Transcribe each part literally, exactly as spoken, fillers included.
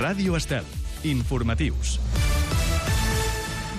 Ràdio Estel. Informatius.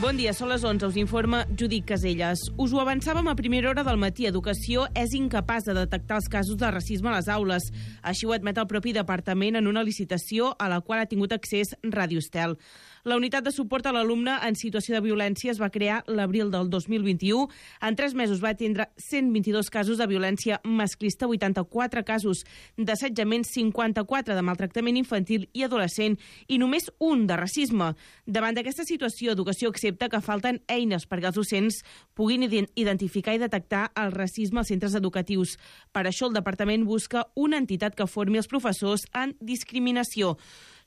Bon dia, són les onze, us informa Judit Caselles. Us ho avançàvem a primera hora del matí. Educació és incapaç de detectar els casos de racisme a les aules. Així ho admet el propi departament en una licitació a la qual ha tingut accés Ràdio Estel. La unitat de suport a l'alumne en situació de violència es va crear l'abril del dos mil vint-i-u. En tres mesos va atendre cent vint-i-dos casos de violència masclista, vuitanta-quatre casos d'assetjament, cinquanta-quatre de maltractament infantil i adolescent i només un de racisme. Davant d'aquesta situació, Educació accepta que falten eines perquè els docents puguin identificar i detectar el racisme als centres educatius. Per això el departament busca una entitat que formi els professors en discriminació.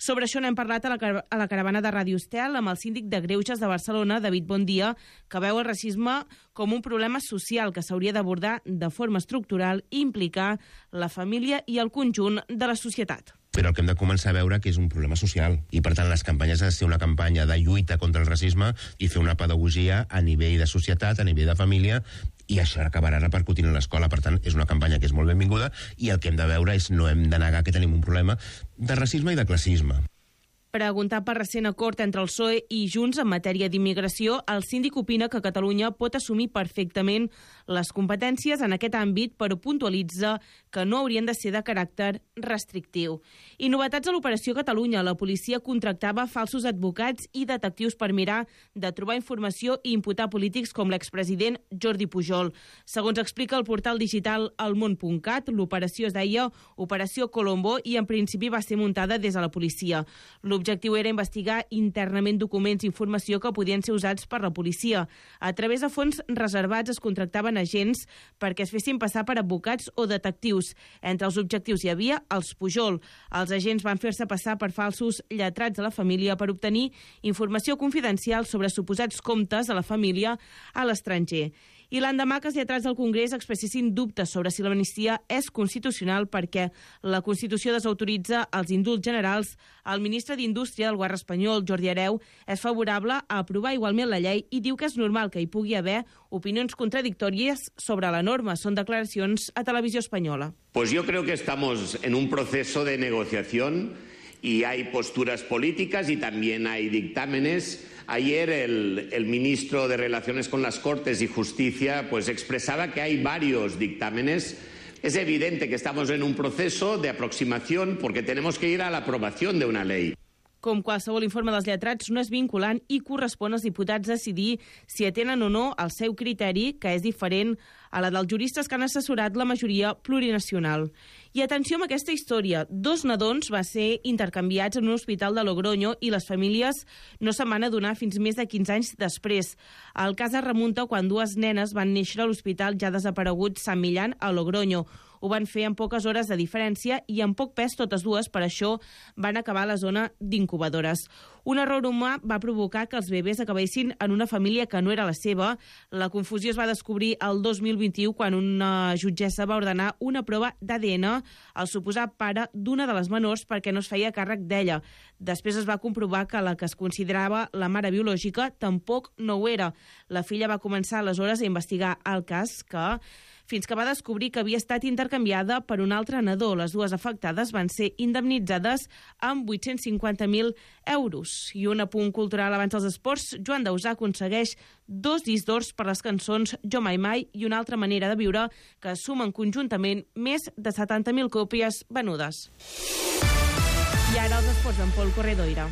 Sobre això n'hem parlat a la, car a la caravana de Ràdio Estel amb el síndic de Greuges de Barcelona, David Bondia, que veu el racisme com un problema social que s'hauria d'abordar de forma estructural i implicar la família i el conjunt de la societat. Però el que hem de començar a veure que és un problema social i, per tant, les campanyes han de ser una campanya de lluita contra el racisme i fer una pedagogia a nivell de societat, a nivell de família, i això acabarà repercutint a l'escola. Per tant, és una campanya que és molt benvinguda i el que hem de veure és no hem de negar que tenim un problema de racisme i de classisme. Preguntat per recent acord entre el P S O E i Junts en matèria d'immigració, el síndic opina que Catalunya pot assumir perfectament les competències en aquest àmbit, però puntualitza que no haurien de ser de caràcter restrictiu. I novetats a l'Operació Catalunya. La policia contractava falsos advocats i detectius per mirar de trobar informació i imputar polítics com l'expresident Jordi Pujol. Segons explica el portal digital elmón punt cat, l'operació es deia Operació Colombo i en principi va ser muntada des de la policia. L'objectiu era investigar internament documents i informació que podien ser usats per la policia. A través de fons reservats es contractaven agents perquè es fessin passar per advocats o detectius. Entre els objectius hi havia els Pujol. Els agents van fer-se passar per falsos lletrats de la família per obtenir informació confidencial sobre suposats comptes de la família a l'estranger. I l'endemà que els lletrats del Congrés expressessin dubtes sobre si l'amnistia és constitucional perquè la Constitució desautoritza els indults generals, el ministre d'Indústria del govern espanyol, Jordi Hereu, és favorable a aprovar igualment la llei i diu que és normal que hi pugui haver opinions contradictòries sobre la norma. Són declaracions a Televisió Espanyola. Pues yo creo que estamos en un proceso de negociación y hay posturas políticas y también hay dictámenes. Ayer el, el ministro de Relaciones con las Cortes y Justicia pues expresaba que hay varios dictámenes. Es evidente que estamos en un proceso de aproximación porque tenemos que ir a la aprobación de una ley. Com qualsevol informe dels lletrats, no és vinculant i correspon als diputats decidir si atenen o no el seu criteri, que és diferent a la dels juristes que han assessorat la majoria plurinacional. I atenció amb aquesta història. Dos nadons va ser intercanviats en un hospital de Logroño i les famílies no se'n van adonar fins més de quinze anys després. El cas es remunta quan dues nenes van néixer a l'hospital ja desaparegut Sant Millán a Logroño. Ho van fer en poques hores de diferència i amb poc pes totes dues, per això van acabar a la zona d'incubadores. Un error humà va provocar que els bebès acabessin en una família que no era la seva. La confusió es va descobrir el dos mil vint-i-u quan una jutgessa va ordenar una prova d'A D N al suposat pare d'una de les menors perquè no es feia càrrec d'ella. Després es va comprovar que la que es considerava la mare biològica tampoc no ho era. La filla va començar aleshores a investigar el cas que fins que va descobrir que havia estat intercanviada per un altre nadó. Les dues afectades van ser indemnitzades amb vuit-cents cinquanta mil euros. I un apunt cultural abans dels esports. Joan Dausà aconsegueix dos discs d'ors per les cançons Jo Mai Mai i Una altra manera de viure, que sumen conjuntament més de setanta mil còpies venudes. I ara els esports amb Pol Corredoira.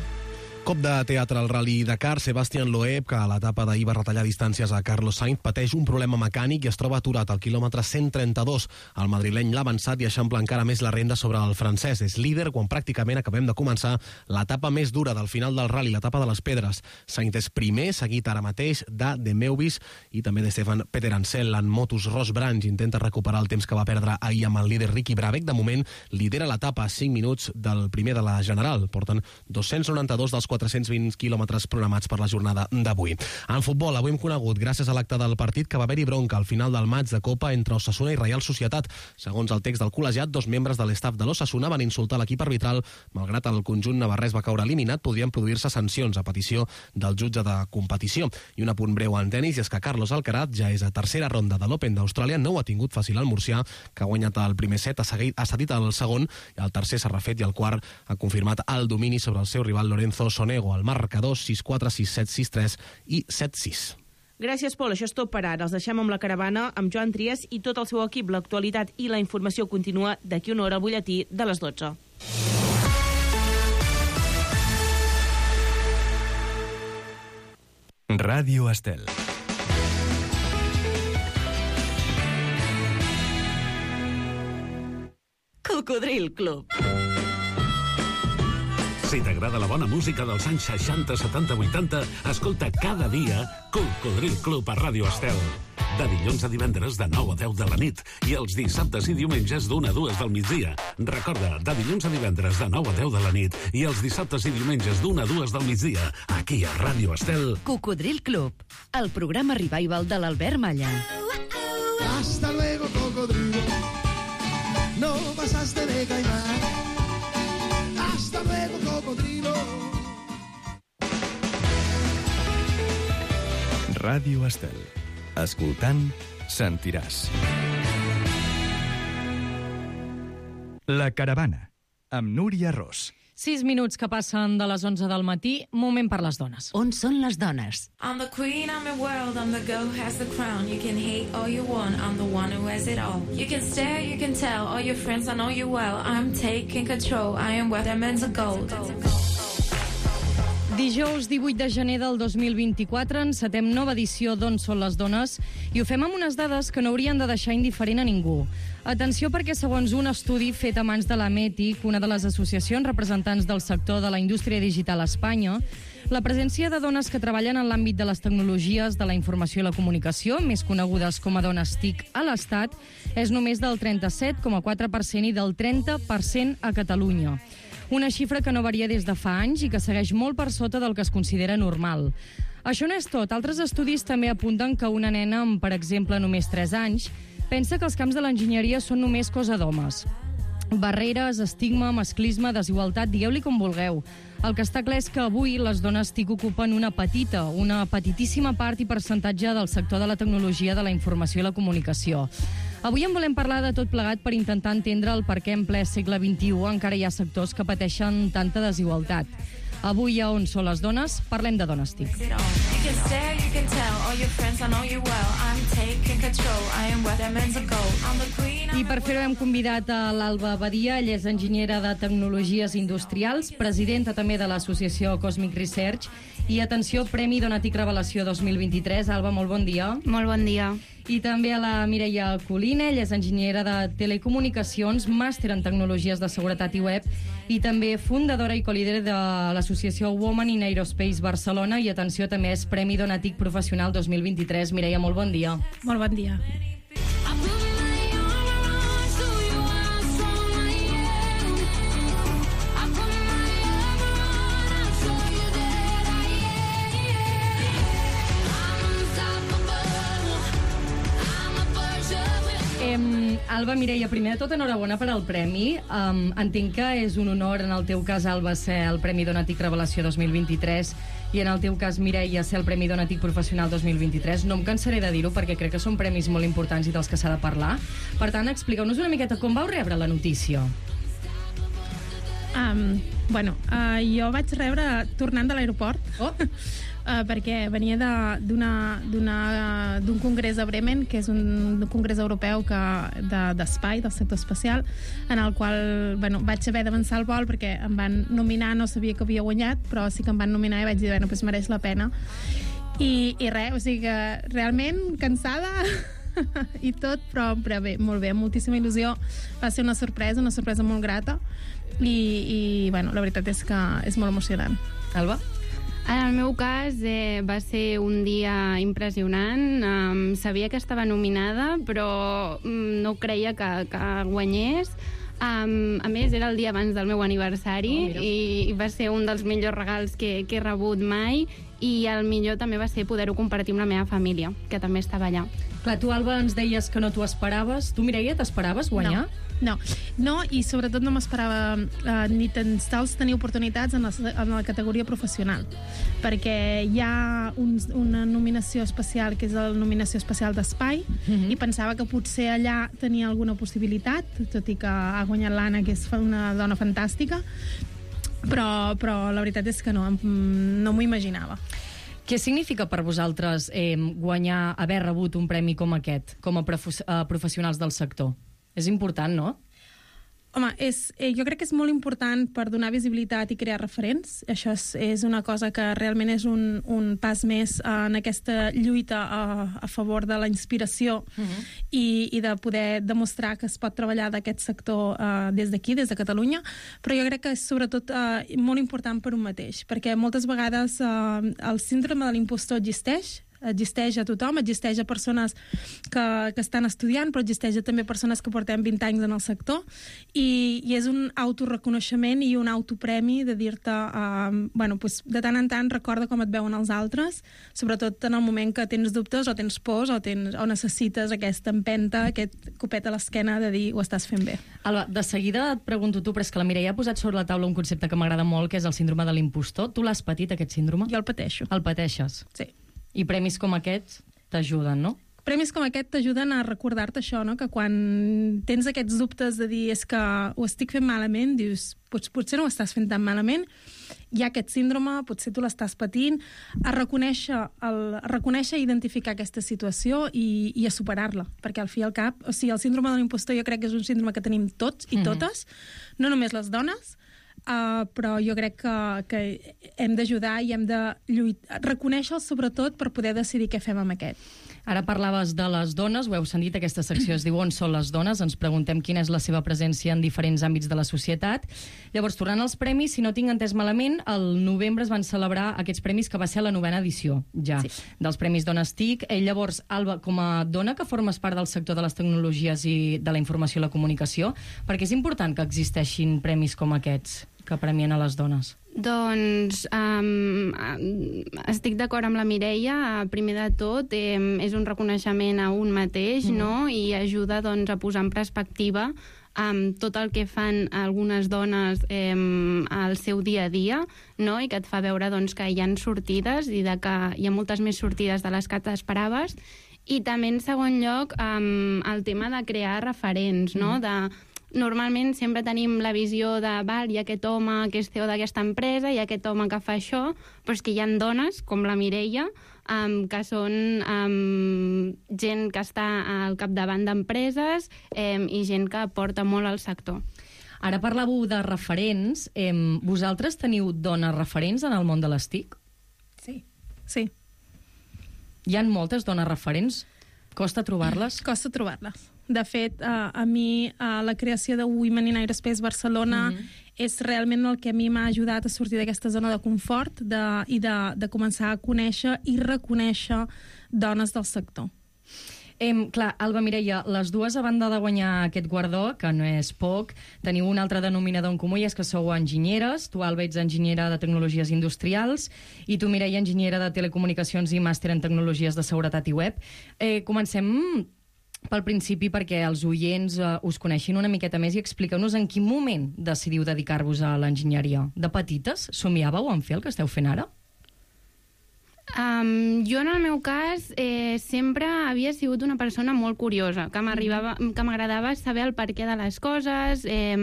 Cop de teatre al Rally Dakar. Sebastián Loeb, que a l'etapa d'ahir va retallar distàncies a Carlos Sainz, pateix un problema mecànic i es troba aturat al quilòmetre cent trenta-dos. El madrileny l'ha avançat i eixampla encara més la renda sobre el francès. És líder quan pràcticament acabem de començar l'etapa més dura del final del Rally, l'etapa de les pedres. Sainz és primer, seguit ara mateix de De Meuvis i també de Stefan Peter Ansel. En motos, Ross Branch intenta recuperar el temps que va perdre ahir amb el líder Ricky Brabec. De moment lidera l'etapa a cinc minuts del primer de la general. Porten dos-cents noranta-dos dels quatre-cents vint quilòmetres programats per la jornada d'avui. En futbol, avui hem conegut, gràcies a l'acte del partit, que va haver-hi bronca al final del maig de Copa entre Osasuna i Reial Societat. Segons el text del col·legiat, dos membres de l'estaf de l'Osasuna van insultar l'equip arbitral. Malgrat el conjunt navarrès va caure eliminat, podrien produir-se sancions a petició del jutge de competició. I un apunt breu en tenis, i és que Carlos Alcaraz ja és a tercera ronda de l'Open d'Austràlia. No ho ha tingut fàcil el murcià, que ha guanyat el primer set, ha, seguit, ha cedit el segon, i el tercer s'ha refet, i el quart ha confirmat el domini sobre el seu rival Lorenzo Sonego. El marcador sis quatre, sis set, sis tres i set sis. Gràcies, Pol. Això és tot per ara. Els deixem amb la caravana, amb Joan Trias i tot el seu equip. L'actualitat i la informació continua d'aquí una hora al butlletí de les dotze. Ràdio Estel. Cocodril Club. Si t'agrada la bona música dels anys seixanta, setanta, vuitanta, escolta cada dia Cocodril Club a Ràdio Estel. De dilluns a divendres de nou a deu de la nit i els dissabtes i diumenges d'una a dues del migdia. Recorda, de dilluns a divendres de nou a deu de la nit i els dissabtes i diumenges d'una a dues del migdia, aquí a Ràdio Estel. Cocodril Club, el programa revival de l'Albert Malla. Hasta luego, cocodrilo. No pasaste de caimán. Hasta luego, cocodrilo. Ràdio Estel. Escoltant, sentiràs. La caravana, amb Núria Ros. Sis minuts que passen de les onze del matí, moment per les dones. On són les dones? I'm the queen, I'm the world, I'm the girl who has the crown. You can hate all you want, I'm the one who has it all. You can stare, you can tell, all your friends, I know you well. I'm taking control, I am where diamonds are gold. Dijous divuit de gener del dos mil vint-i-quatre encetem nova edició d'On són les dones i ho fem amb unes dades que no haurien de deixar indiferent a ningú. Atenció, perquè segons un estudi fet a mans de la METIC, una de les associacions representants del sector de la indústria digital a Espanya, la presència de dones que treballen en l'àmbit de les tecnologies de la informació i la comunicació, més conegudes com a dones T I C a l'Estat, és només del trenta-set coma quatre per cent i del trenta per cent a Catalunya. Una xifra que no varia des de fa anys i que segueix molt per sota del que es considera normal. Això no és tot. Altres estudis també apunten que una nena amb, per exemple, només tres anys, pensa que els camps de l'enginyeria són només cosa d'homes. Barreres, estigma, masclisme, desigualtat, digueu-li com vulgueu. El que està clar és que avui les dones T I C ocupen una petita, una petitíssima part i percentatge del sector de la tecnologia, de la informació i la comunicació. Avui en volem parlar de tot plegat per intentar entendre el per què en ple segle vint-i-u encara hi ha sectors que pateixen tanta desigualtat. Avui a On són les dones, parlem de dones T I C. I per fer-ho hem convidat a l'Alba Badia. Ella és enginyera de tecnologies industrials, presidenta també de l'associació Cosmic Research i, atenció, Premi Dona T I C Revelació dos mil vint-i-tres. Alba, molt bon dia. Molt bon dia. I també a la Mireia Colina, ella és enginyera de telecomunicacions, màster en tecnologies de seguretat i web i també fundadora i colíder de l'associació Women in Aerospace Barcelona i, atenció, també és Premi Dona T I C Professional dos mil vint-i-tres. Mireia, molt bon dia. Molt bon dia. Um, Alba, Mireia, primer de tot, enhorabona per al premi. Um, entenc que és un honor, en el teu cas, Alba, ser el Premi Dona T I C Revelació dos mil vint-i-tres i en el teu cas, Mireia, ser el Premi Dona T I C Professional dos mil vint-i-tres. No em cansaré de dir-ho perquè crec que són premis molt importants i dels que s'ha de parlar. Per tant, expliqueu-nos una miqueta com vau rebre la notícia. Um, bueno, uh, jo vaig rebre tornant de l'aeroport. Oh. Uh, perquè venia d'un congrés a Bremen, que és un congrés europeu que, de, d'espai, del sector espacial, en el qual bueno, vaig haver d'avançar el vol perquè em van nominar, no sabia que havia guanyat, però sí que em van nominar i vaig dir, bueno, doncs mereix la pena. I, i res, o sigui que realment cansada i tot, però, però bé, molt bé, amb moltíssima il·lusió. Va ser una sorpresa, una sorpresa molt grata i, i bueno, la veritat és que és molt emocionant. Alba? En el meu cas eh, va ser un dia impressionant. Um, sabia que estava nominada, però um, no creia que, que guanyés. Um, a més, era el dia abans del meu aniversari oh, i, i va ser un dels millors regals que, que he rebut mai, i el millor també va ser poder-ho compartir amb la meva família, que també estava allà. Clar, tu, Alba, ens deies que no t'ho esperaves. Tu, Mireia, t'esperaves guanyar? No, no, no i sobretot no m'esperava eh, ni tan sols tenir oportunitats en la, en la categoria professional, perquè hi ha un, una nominació especial, que és la nominació especial d'Espai, mm-hmm. i pensava que potser allà tenia alguna possibilitat, tot i que ha guanyat l'Anna, que és una dona fantàstica, però, però la veritat és que no, no m'ho imaginava. Què significa per vosaltres eh, guanyar, haver rebut un premi com aquest, com a prof- uh, professionals del sector? És important, no? Home, és, eh, jo crec que és molt important per donar visibilitat i crear referents. Això és, és una cosa que realment és un, un pas més en aquesta lluita a, a favor de la inspiració uh-huh. i, i de poder demostrar que es pot treballar d'aquest sector eh, des d'aquí, des de Catalunya, però jo crec que és sobretot eh, molt important per un mateix, perquè moltes vegades eh, el síndrome de l'impostor existeix, existeix a tothom, existeix a persones que, que estan estudiant, però existeix també a persones que portem vint anys en el sector, i, i és un autoreconeixement i un autopremi de dir-te, uh, bueno, pues, de tant en tant recorda com et veuen els altres, sobretot en el moment que tens dubtes o tens pors o, tens, o necessites aquesta empenta, aquest copet a l'esquena de dir ho estàs fent bé. Alba, de seguida et pregunto tu, però és que la Mireia ha posat sobre la taula un concepte que m'agrada molt, que és el síndrome de l'impostor. Tu l'has patit, aquest síndrome? Jo el pateixo. El pateixes? Sí. I premis com aquests t'ajuden, no? Premis com aquest t'ajuden a recordar-te això, no? Que quan tens aquests dubtes de dir és que ho estic fent malament, dius, pots, potser no ho estàs fent tan malament, hi ha aquest síndrome, potser tu l'estàs patint, a reconèixer, el, a reconèixer i identificar aquesta situació i, i a superar-la, perquè al fi i al cap, o sigui, el síndrome de l'impostor jo crec que és un síndrome que tenim tots i totes, mm-hmm. no només les dones, Uh, però jo crec que, que hem d'ajudar i hem de lluitar, reconèixer-lo sobretot per poder decidir què fem amb aquest. Ara parlaves de les dones, ho heu sentit, aquesta secció es diu On són les dones? Ens preguntem quina és la seva presència en diferents àmbits de la societat. Llavors, tornant als premis, si no tinc entès malament, el novembre es van celebrar aquests premis, que va ser la novena edició, ja, sí. dels Premis Dones T I C. Eh, llavors, Alba, com a dona que formes part del sector de les tecnologies i de la informació i la comunicació, perquè és important que existeixin premis com aquests que premien a les dones? Doncs um, estic d'acord amb la Mireia. Primer de tot, eh, és un reconeixement a un mateix, mm. no? I ajuda doncs, a posar en perspectiva um, tot el que fan algunes dones eh, al seu dia a dia, no? I que et fa veure doncs, que hi ha sortides i de que hi ha moltes més sortides de les que t'esperaves. I també, en segon lloc, um, el tema de crear referents, no? Mm. de Normalment sempre tenim la visió de val, hi ha aquest home que és C E O d'aquesta empresa, hi ha aquest home que fa això, però és que hi ha dones, com la Mireia, um, que són um, gent que està al capdavant d'empreses um, i gent que aporta molt al sector. Ara parlàveu de referents. Eh, vosaltres teniu dones referents en el món de les T I C? Sí. Sí. Hi ha moltes dones referents? Costa trobar-les? Costa trobar-les. De fet, uh, a mi uh, la creació de Women in Aerospace Barcelona mm-hmm. és realment el que a mi m'ha ajudat a sortir d'aquesta zona de confort de, i de, de començar a conèixer i reconèixer dones del sector. Eh, clar, Alba, Mireia, les dues, a banda de guanyar aquest guardó, que no és poc, teniu un altre denominador en comú, i és que sou enginyeres. Tu, Alba, ets enginyera de Tecnologies Industrials, i tu, Mireia, enginyera de Telecomunicacions i màster en Tecnologies de Seguretat i Web. Eh, comencem pel principi perquè els oients uh, us coneixin una miqueta més i expliqueu-nos en quin moment decidiu dedicar-vos a l'enginyeria. De petites somiàveu en fer el que esteu fent ara? Um, jo, en el meu cas, eh, sempre havia sigut una persona molt curiosa, que m'arribava, que m'agradava saber el perquè de les coses, eh,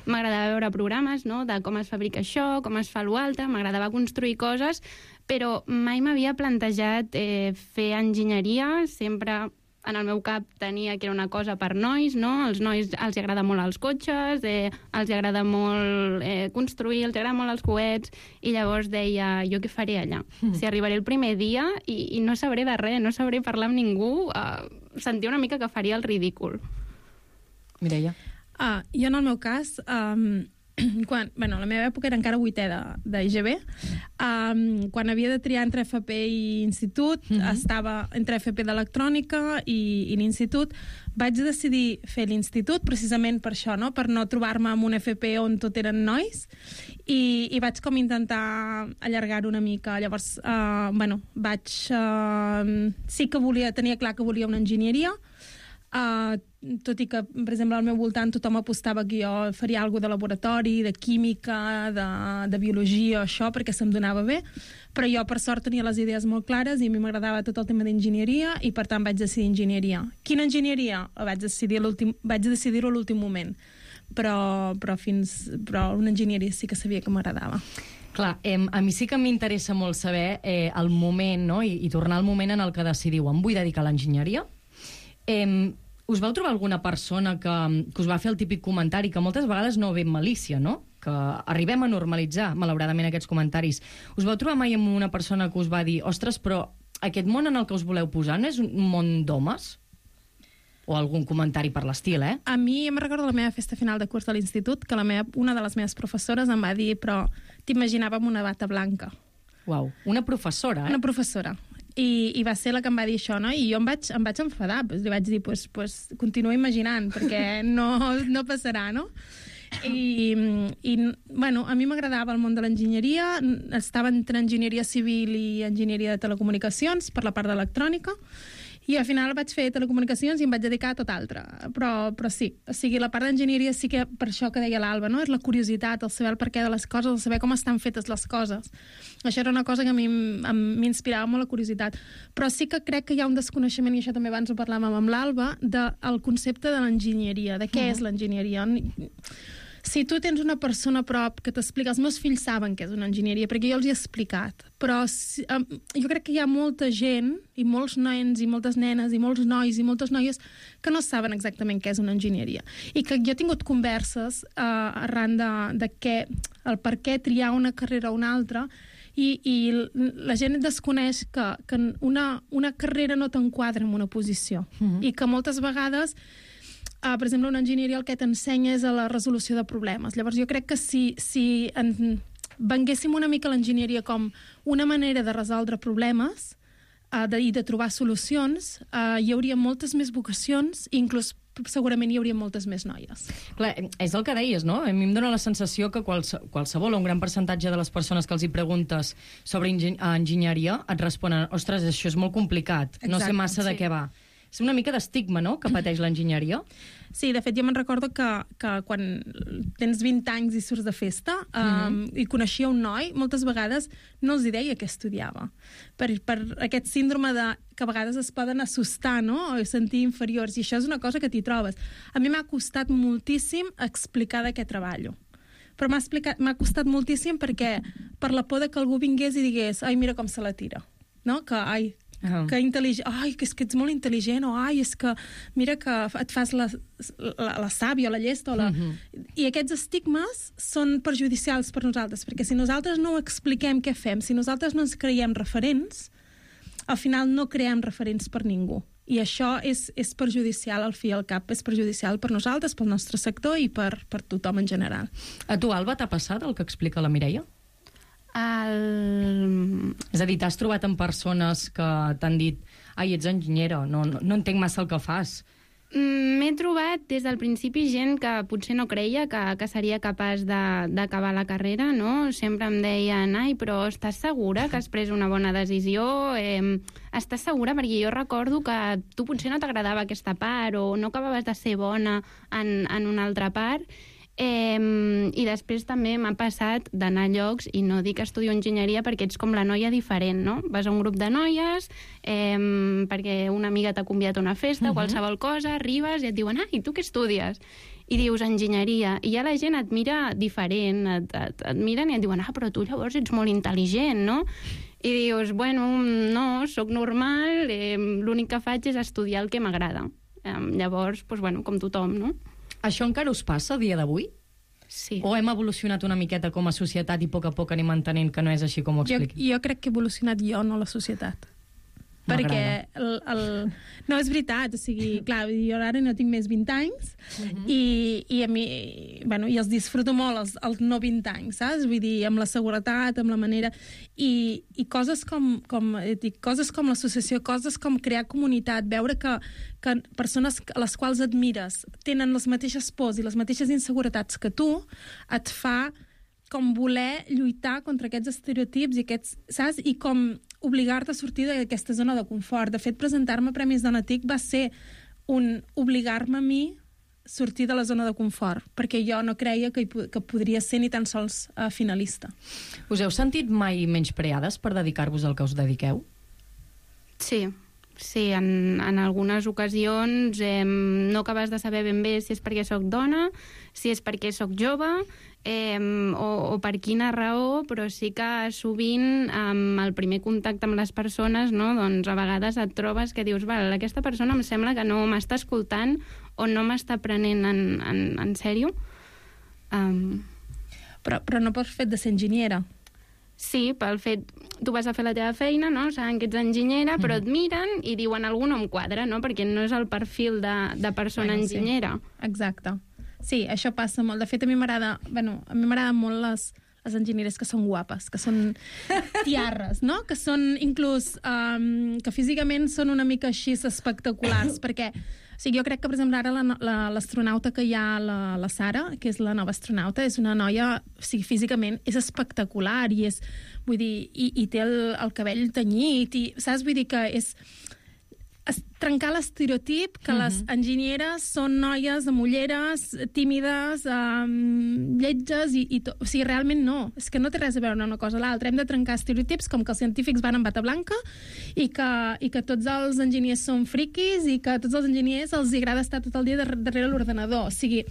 m'agradava veure programes, no?, de com es fabrica això, com es fa l'altre, m'agradava construir coses, però mai m'havia plantejat eh, fer enginyeria. Sempre en el meu cap tenia que era una cosa per nois, no? Els nois els agrada molt els cotxes, eh, els agrada molt eh, construir, els agrada molt els coets, i llavors deia, jo què faré allà? Mm. Si arribaré el primer dia i, i no sabré de res, no sabré parlar amb ningú, eh, sentia una mica que faria el ridícul. Mireia? Uh, jo, en el meu cas, um, quan, bueno, la meva època era encara vuitè de, de I G B, um, quan havia de triar entre F P i institut, mm-hmm. estava entre F P d'electrònica i, i l'institut, vaig decidir fer l'institut precisament per això, no? Per no trobar-me amb un F P on tot eren nois, i, i vaig com intentar allargar-ho una mica. Llavors, uh, bueno, vaig... Uh, sí que volia, tenia clar que volia una enginyeria, Uh, tot i que, per exemple, al meu voltant tothom apostava que jo faria alguna de laboratori, de química, de, de biologia, això, perquè se'm donava bé, però jo, per sort, tenia les idees molt clares i a mi m'agradava tot el tema d'enginyeria i, per tant, vaig decidir enginyeria. Quina enginyeria? Vaig decidir l'últim, vaig decidir-ho a l'últim moment, però, però, fins, però una enginyeria sí que sabia que m'agradava. Clar, eh, a mi sí que m'interessa molt saber eh, el moment, no? I, i tornar al moment en el que decidiu, em vull dedicar a l'enginyeria. Eh, us vau trobar alguna persona que, que us va fer el típic comentari, que moltes vegades no ve amb malícia, no? Que arribem a normalitzar, malauradament, aquests comentaris. Us vau trobar mai amb una persona que us va dir ostres, però aquest món en el que us voleu posar no és un món d'homes? O algun comentari per l'estil, eh? A mi em recordo la meva festa final de curs de l'institut, que la meva, una de les meves professores em va dir però t'imaginava amb una bata blanca. Uau, una professora, eh? Una professora. I, i va ser la que em va dir això, no? I jo em vaig, em vaig enfadar, pues, li vaig dir, pues, pues, continua imaginant, perquè no, no passarà, no? I, i bueno, a mi m'agradava el món de l'enginyeria, estava entre enginyeria civil i enginyeria de telecomunicacions, per la part d'electrònica, i al final vaig fer telecomunicacions i em vaig dedicar a tot altre. Però, però sí, o sigui, la part d'enginyeria sí que, per això que deia l'Alba, no? És la curiositat, el saber el perquè de les coses, el saber com estan fetes les coses. Això era una cosa que a mi m'inspirava molt, la curiositat. Però sí que crec que hi ha un desconeixement, i això també abans ho parlàvem amb l'Alba, del concepte de l'enginyeria, de què uh-huh. és l'enginyeria. Si tu tens una persona a prop que t'explica... Els meus fills saben què és una enginyeria, perquè jo els hi he explicat, però si, um, jo crec que hi ha molta gent, i molts nens, i moltes nenes, i molts nois, i moltes noies, que no saben exactament què és una enginyeria. I que jo he tingut converses uh, arran de, de què, el per què triar una carrera o una altra, i, i la gent desconeix que, que una, una carrera no t'enquadra en una posició, mm-hmm. i que moltes vegades... Uh, per exemple, una enginyeria el que t'ensenya és a la resolució de problemes. Llavors, jo crec que si, si en, venguéssim una mica l'enginyeria com una manera de resoldre problemes uh, de, i de trobar solucions, uh, hi hauria moltes més vocacions i inclús segurament hi hauria moltes més noies. Clar, és el que deies, no? A mi em dóna la sensació que quals, qualsevol o un gran percentatge de les persones que els hi preguntes sobre enginyer, enginyeria et responen ostres, això és molt complicat, Exacte, no sé massa sí. de què va. És una mica d'estigma, no?, que pateix l'enginyeria. Sí, de fet, jo me'n recordo que, que quan tens vint anys i surts de festa um, mm-hmm. i coneixia un noi, moltes vegades no els hi deia què estudiava. Per, per aquest síndrome de, que a vegades es poden assustar, no?, o sentir inferiors, i això és una cosa que t'hi trobes. A mi m'ha costat moltíssim explicar de què treballo. Però m'ha explicat, m'ha costat moltíssim perquè per la por de que algú vingués i digués ai, mira com se la tira, no?, que ai... Uh-huh. que intel·ligent, ai, que és que ets molt intel·ligent, o ai, és que mira que et fas la, la, la sàvia o la llesta o la... Uh-huh. I aquests estigmes són perjudicials per nosaltres, perquè si nosaltres no expliquem què fem, si nosaltres no ens creiem referents, al final no creem referents per ningú. I això és, és perjudicial al fi i al cap, és perjudicial per nosaltres, pel nostre sector i per, per tothom en general. A tu, Alba, t'ha passat el que explica la Mireia? El... És a dir, t'has trobat amb persones que t'han dit ai, ets enginyera, no, no, no entenc massa el que fas. M'he trobat des del principi gent que potser no creia que, que seria capaç d'acabar la carrera, no? Sempre em deien, ai, però estàs segura que has pres una bona decisió? Eh, estàs segura? Perquè jo recordo que tu potser no t'agradava aquesta part o no acabaves de ser bona en, en una altra part. Eh, I després també m'ha passat d'anar a llocs i no dir que estudio enginyeria perquè ets com la noia diferent, no? Vas a un grup de noies eh, perquè una amiga t'ha convidat a una festa, uh-huh. qualsevol cosa, arribes i et diuen, ah, i tu què estudies? I dius enginyeria, i ja la gent et mira diferent, et, et, et miren i et diuen, ah, però tu llavors ets molt intel·ligent, no? I dius, bueno, no, sóc normal, eh, l'únic que faig és estudiar el que m'agrada. Eh, llavors, doncs, bueno, com tothom, no? Això encara us passa a dia d'avui? Sí. O hem evolucionat una miqueta com a societat i a poc a poc anem entenent que no és així com ho expliqui? Jo, jo crec que he evolucionat jo, no la societat. perquè el, el... no, és veritat, o sigui, clar, jo ara no tinc més vint anys uh-huh. i, i a mi, bueno, i els disfruto molt els, els no vint anys, saps? Vull dir, amb la seguretat, amb la manera... I, i coses com, com, dic, coses com l'associació, coses com crear comunitat, veure que, que persones a les quals admires tenen les mateixes pors i les mateixes inseguretats que tu, et fa com voler lluitar contra aquests estereotips i aquests, saps? I com obligar-te a sortir d'aquesta zona de confort. De fet, presentar-me a Premis Dona TIC va ser un obligar-me a mi sortir de la zona de confort, perquè jo no creia que, hi, que podria ser ni tan sols uh, finalista. Us heu sentit mai menyspreades per dedicar-vos al que us dediqueu? Sí, sí, en, en algunes ocasions eh, no acabes de saber ben bé si és perquè sóc dona, si és perquè sóc jove, eh, o, o per quina raó, però sí que sovint amb el primer contacte amb les persones, no, doncs a vegades et trobes que dius, val, aquesta persona em sembla que no m'està escoltant o no m'està prenent en, en, en sèrio. Um... Però, però no per fet de ser enginyera. Sí, pel fet... Tu vas a fer la teva feina, no? Saben que ets enginyera, però et miren i diuen algú no em quadra, no? Perquè no és el perfil de, de persona bueno, enginyera. Sí. Exacte. Sí, això passa molt. De fet, a mi m'agrada... Bueno, a mi m'agraden molt les, les enginyeres que són guapes, que són tiarres, no? Que són inclús... Um, que físicament són una mica així espectaculars, perquè... O sigui, jo crec que, per exemple, ara l'astronauta que hi ha, la, la Sara, que és la nova astronauta, és una noia, o sigui, físicament és espectacular i és, vull dir, i, i té el, el cabell tenyit, i, saps? Vull dir que és... trencar l'estereotip que uh-huh. les enginyeres són noies amb ulleres, tímides, um, lletges, i, i to... o sigui, realment no. És que no té res a veure una cosa a l'altra. Hem de trencar estereotips com que els científics van amb bata blanca i que, i que tots els enginyers són friquis i que a tots els enginyers els agrada estar tot el dia darrere l'ordenador. O sigui,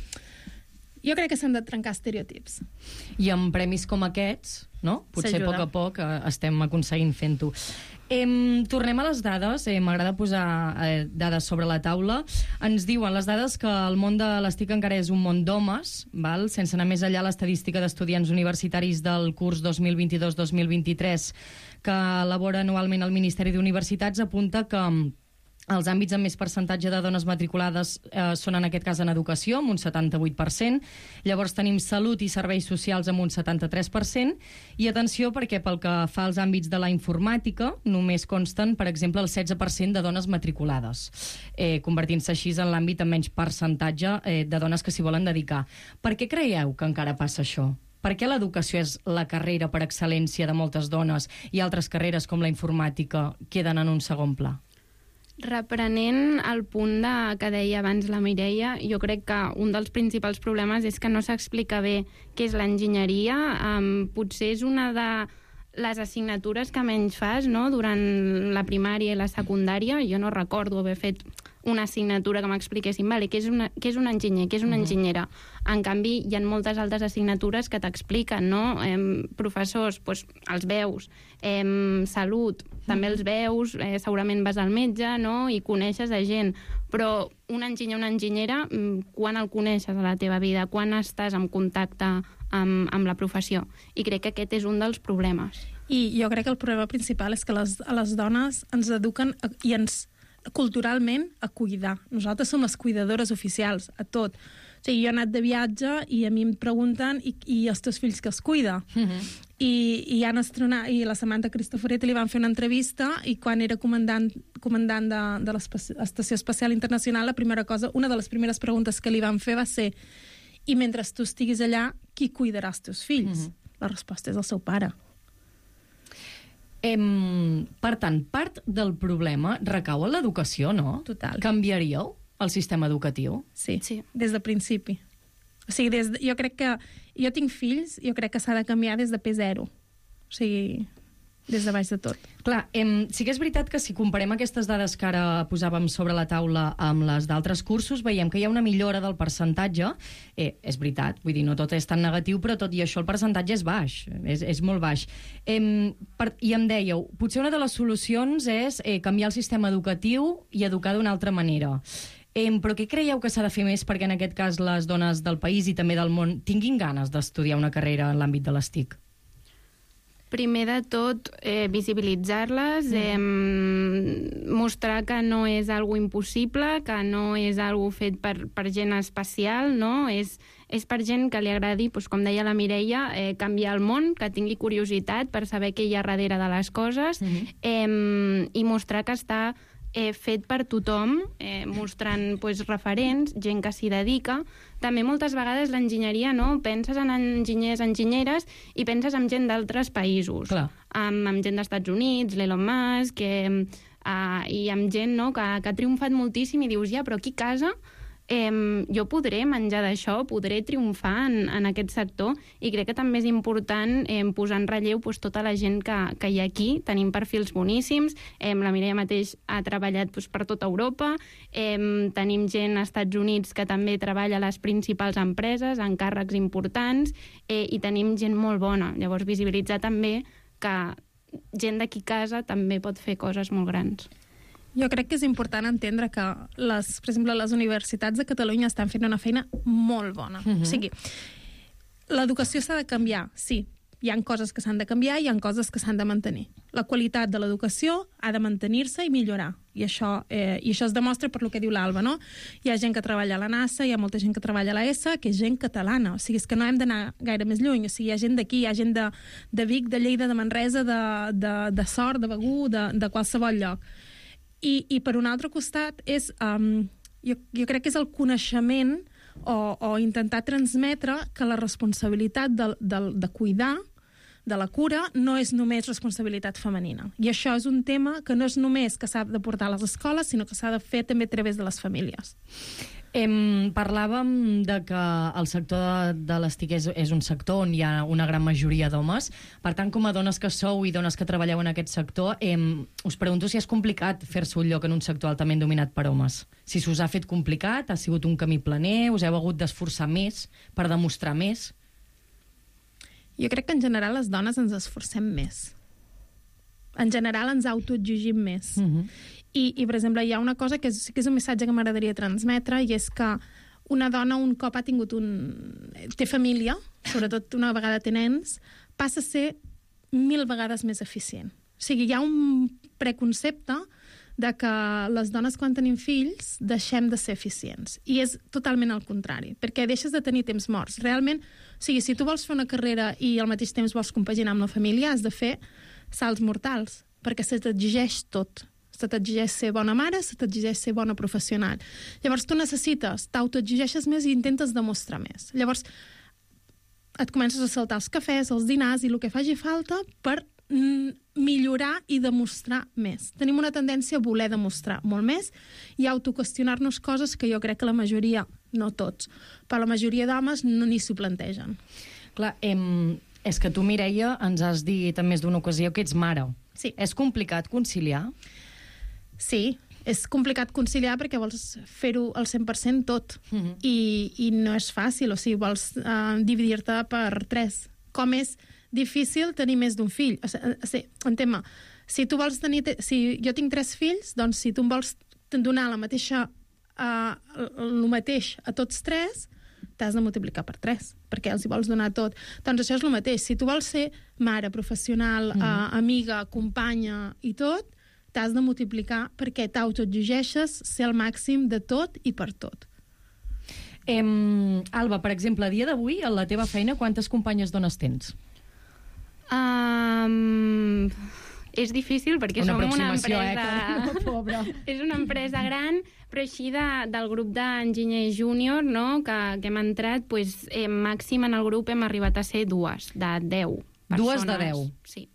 jo crec que s'han de trencar estereotips. I amb premis com aquests, no? Potser a poc a poc eh, estem aconseguint fent-ho. Em, tornem a les dades. Eh, m'agrada posar eh, dades sobre la taula. Ens diuen les dades que el món de les TIC encara és un món d'homes, val? Sense anar més enllà, l'estadística d'estudiants universitaris del curs dos mil vint-i-dos dos mil vint-i-tres que elabora anualment el Ministeri d'Universitats apunta que els àmbits amb més percentatge de dones matriculades eh, són en aquest cas en educació, amb un setanta-vuit per cent. Llavors tenim salut i serveis socials amb un setanta-tres per cent. I atenció, perquè pel que fa als àmbits de la informàtica, només consten, per exemple, el setze per cent de dones matriculades, eh, convertint-se així en l'àmbit amb menys percentatge eh, de dones que s'hi volen dedicar. Per què creieu que encara passa això? Per què l'educació és la carrera per excel·lència de moltes dones i altres carreres com la informàtica queden en un segon pla? Reprenent el punt de, que deia abans la Mireia, jo crec que un dels principals problemes és que no s'explica bé què és l'enginyeria. Um, potser és una de les assignatures que menys fas, no?, durant la primària i la secundària. Jo no recordo haver fet una assignatura que m'expliquessin, vale, què és, una, què és un enginyer, què és una enginyera. En canvi, hi ha moltes altres assignatures que t'expliquen, no? Eh, professors, doncs, els veus. Eh, salut, també els veus, eh, segurament vas al metge, no?, i coneixes a gent. Però un enginyer o una enginyera, quan el coneixes a la teva vida? Quan estàs en contacte amb, amb la professió? I crec que aquest és un dels problemes. I jo crec que el problema principal és que les, a les dones ens eduquen i ens culturalment a cuidar. Nosaltres som les cuidadores oficials a tot. O sigui, jo he anat de viatge i a mi em pregunten i, i els teus fills que els cuida? Uh-huh. I, i, han astronat, i la Samantha Cristoforetti li van fer una entrevista i quan era comandant, comandant de, de l'Estació Espacial Internacional, la primera cosa, una de les primeres preguntes que li van fer va ser: i mentre tu estiguis allà, qui cuidarà els teus fills? Uh-huh. La resposta és el seu pare. Em, per tant, part del problema recau en l'educació, no? Total. Canviaríeu el sistema educatiu? Sí, sí, des del principi. O sigui, des de, jo crec que... Jo tinc fills, jo crec que s'ha de canviar des de P zero. O sigui, des de baix de tot. Clar, em, sí que és veritat que si comparem aquestes dades que ara posàvem sobre la taula amb les d'altres cursos, veiem que hi ha una millora del percentatge. Eh, és veritat, vull dir, no tot és tan negatiu, però tot i això el percentatge és baix, és, és molt baix. Em, per, I em dèieu, potser una de les solucions és eh, canviar el sistema educatiu i educar d'una altra manera. Em, però què creieu que s'ha de fer més perquè en aquest cas les dones del país i també del món tinguin ganes d'estudiar una carrera en l'àmbit de les TIC? Primer de tot, eh, visibilitzar-les, eh, mostrar que no és algo impossible, que no és algo fet per, per gent especial, no? És, és per gent que li agradi, doncs, com deia la Mireia, eh, canviar el món, que tingui curiositat per saber què hi ha darrere de les coses, mm-hmm. eh, i mostrar que està eh, fet per tothom, eh, mostrant pues, referents, gent que s'hi dedica. També moltes vegades l'enginyeria, no? Penses en enginyers, enginyeres, i penses en gent d'altres països. Amb, amb gent dels Estats Units, l'Elon Musk, eh, uh, i amb gent, no? que, que ha triomfat moltíssim i dius, ja, però aquí a casa eh, jo podré menjar d'això, podré triomfar en, en aquest sector, i crec que també és important eh, posar en relleu pues, tota la gent que, que hi ha aquí. Tenim perfils boníssims, eh, la Mireia mateix ha treballat pues, per tota Europa, eh, tenim gent als Estats Units que també treballa a les principals empreses, en càrrecs importants, eh, i tenim gent molt bona. Llavors, visibilitzar també que gent d'aquí a casa també pot fer coses molt grans. Jo crec que és important entendre que, les, per exemple, les universitats de Catalunya estan fent una feina molt bona. Uh-huh. O sigui, l'educació s'ha de canviar, sí. Hi ha coses que s'han de canviar i hi ha coses que s'han de mantenir. La qualitat de l'educació ha de mantenir-se i millorar. I això, eh, i això es demostra per lo que diu l'Alba, no? Hi ha gent que treballa a la NASA, hi ha molta gent que treballa a l'E S A, que és gent catalana. O sigui, és que no hem d'anar gaire més lluny. O sigui, hi ha gent d'aquí, hi ha gent de, de Vic, de Lleida, de Manresa, de, de, de Sort, de Begur, de, de qualsevol lloc. I, i per un altre costat és, um, jo, jo crec que és el coneixement o, o intentar transmetre que la responsabilitat de, de, de cuidar, de la cura, no és només responsabilitat femenina. I això és un tema que no és només que s'ha de portar a les escoles, sinó que s'ha de fer també a través de les famílies. Em, parlàvem de que el sector de, de les T I C és, és un sector on hi ha una gran majoria d'homes. Per tant, com a dones que sou i dones que treballeu en aquest sector, em, us pregunto si és complicat fer-se un lloc en un sector altament dominat per homes. Si s'us ha fet complicat, ha sigut un camí planer, us heu hagut d'esforçar més per demostrar més? Jo crec que en general les dones ens esforcem més. En general ens autoexigim més. Uh-huh. I, I, per exemple, hi ha una cosa que és, que és un missatge que m'agradaria transmetre, i és que una dona un cop ha tingut un... té família, sobretot una vegada té nens, passa a ser mil vegades més eficient. O sigui, hi ha un preconcepte de que les dones quan tenim fills deixem de ser eficients. I és totalment al contrari, perquè deixes de tenir temps morts. Realment, o sigui, si tu vols fer una carrera i al mateix temps vols compaginar amb la família, has de fer salts mortals, perquè se t'exigeix tot. Se t'exigeix ser bona mare, se t'exigeix ser bona professional. Llavors tu necessites, t'autoexigeixes més i intentes demostrar més. Llavors et comences a saltar els cafès, els dinars i el que faci falta per mm, millorar i demostrar més. Tenim una tendència a voler demostrar molt més i autoqüestionar-nos coses que jo crec que la majoria, no tots, però la majoria d'homes no ni s'ho plantegen. Clar, em, és que tu, Mireia, ens has dit en més d'una ocasió que ets mare. Sí. És complicat conciliar? Sí, és complicat conciliar perquè vols fer-ho al cent per cent tot. Uh-huh. I, i no és fàcil, o sigui, vols uh, dividir-te per tres. Com és difícil tenir més d'un fill? O sigui, entén-me, si tu vols tenir... Si jo tinc tres fills, doncs si tu em vols donar la mateixa, uh, el mateix a tots tres, t'has de multiplicar per tres, perquè els hi vols donar tot. Doncs això és el mateix. Si tu vols ser mare, professional, uh-huh. uh, amiga, companya i tot, t'has de multiplicar perquè t'autoexigeixes ser el màxim de tot i per tot. Em, Alba, per exemple, a dia d'avui, a la teva feina, quantes companyes dones tens? Um, és difícil perquè una som una empresa... Eh, Pobra. És una empresa gran, però així de, del grup d'enginyers júnior, no, que, que hem entrat, pues, eh, màxim en el grup hem arribat a ser dues, de deu persones. Dues de deu? Sí.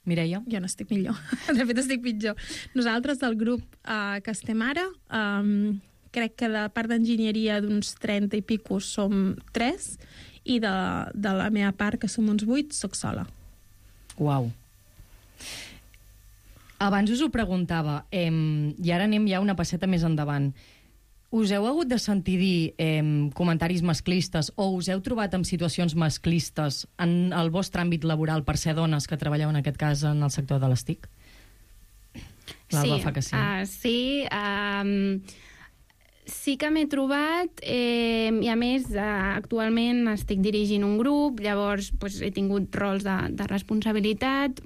Mireia? Jo no estic millor. De fet, estic pitjor. Nosaltres, del grup uh, que estem ara, um, crec que de part d'enginyeria d'uns trenta i pico som tres, i de, de la meva part, que som uns vuit, soc sola. Uau. Abans us ho preguntava, eh, i ara anem ja una passeta més endavant. Us heu hagut de sentir dir eh, comentaris masclistes o us heu trobat en situacions masclistes en el vostre àmbit laboral per ser dones que treballeu en aquest cas en el sector de les T I C? L'Alba sí, fa que sí. Uh, sí, um, Sí que m'he trobat, eh, i a més eh, actualment estic dirigint un grup, llavors pues, he tingut rols de, de responsabilitat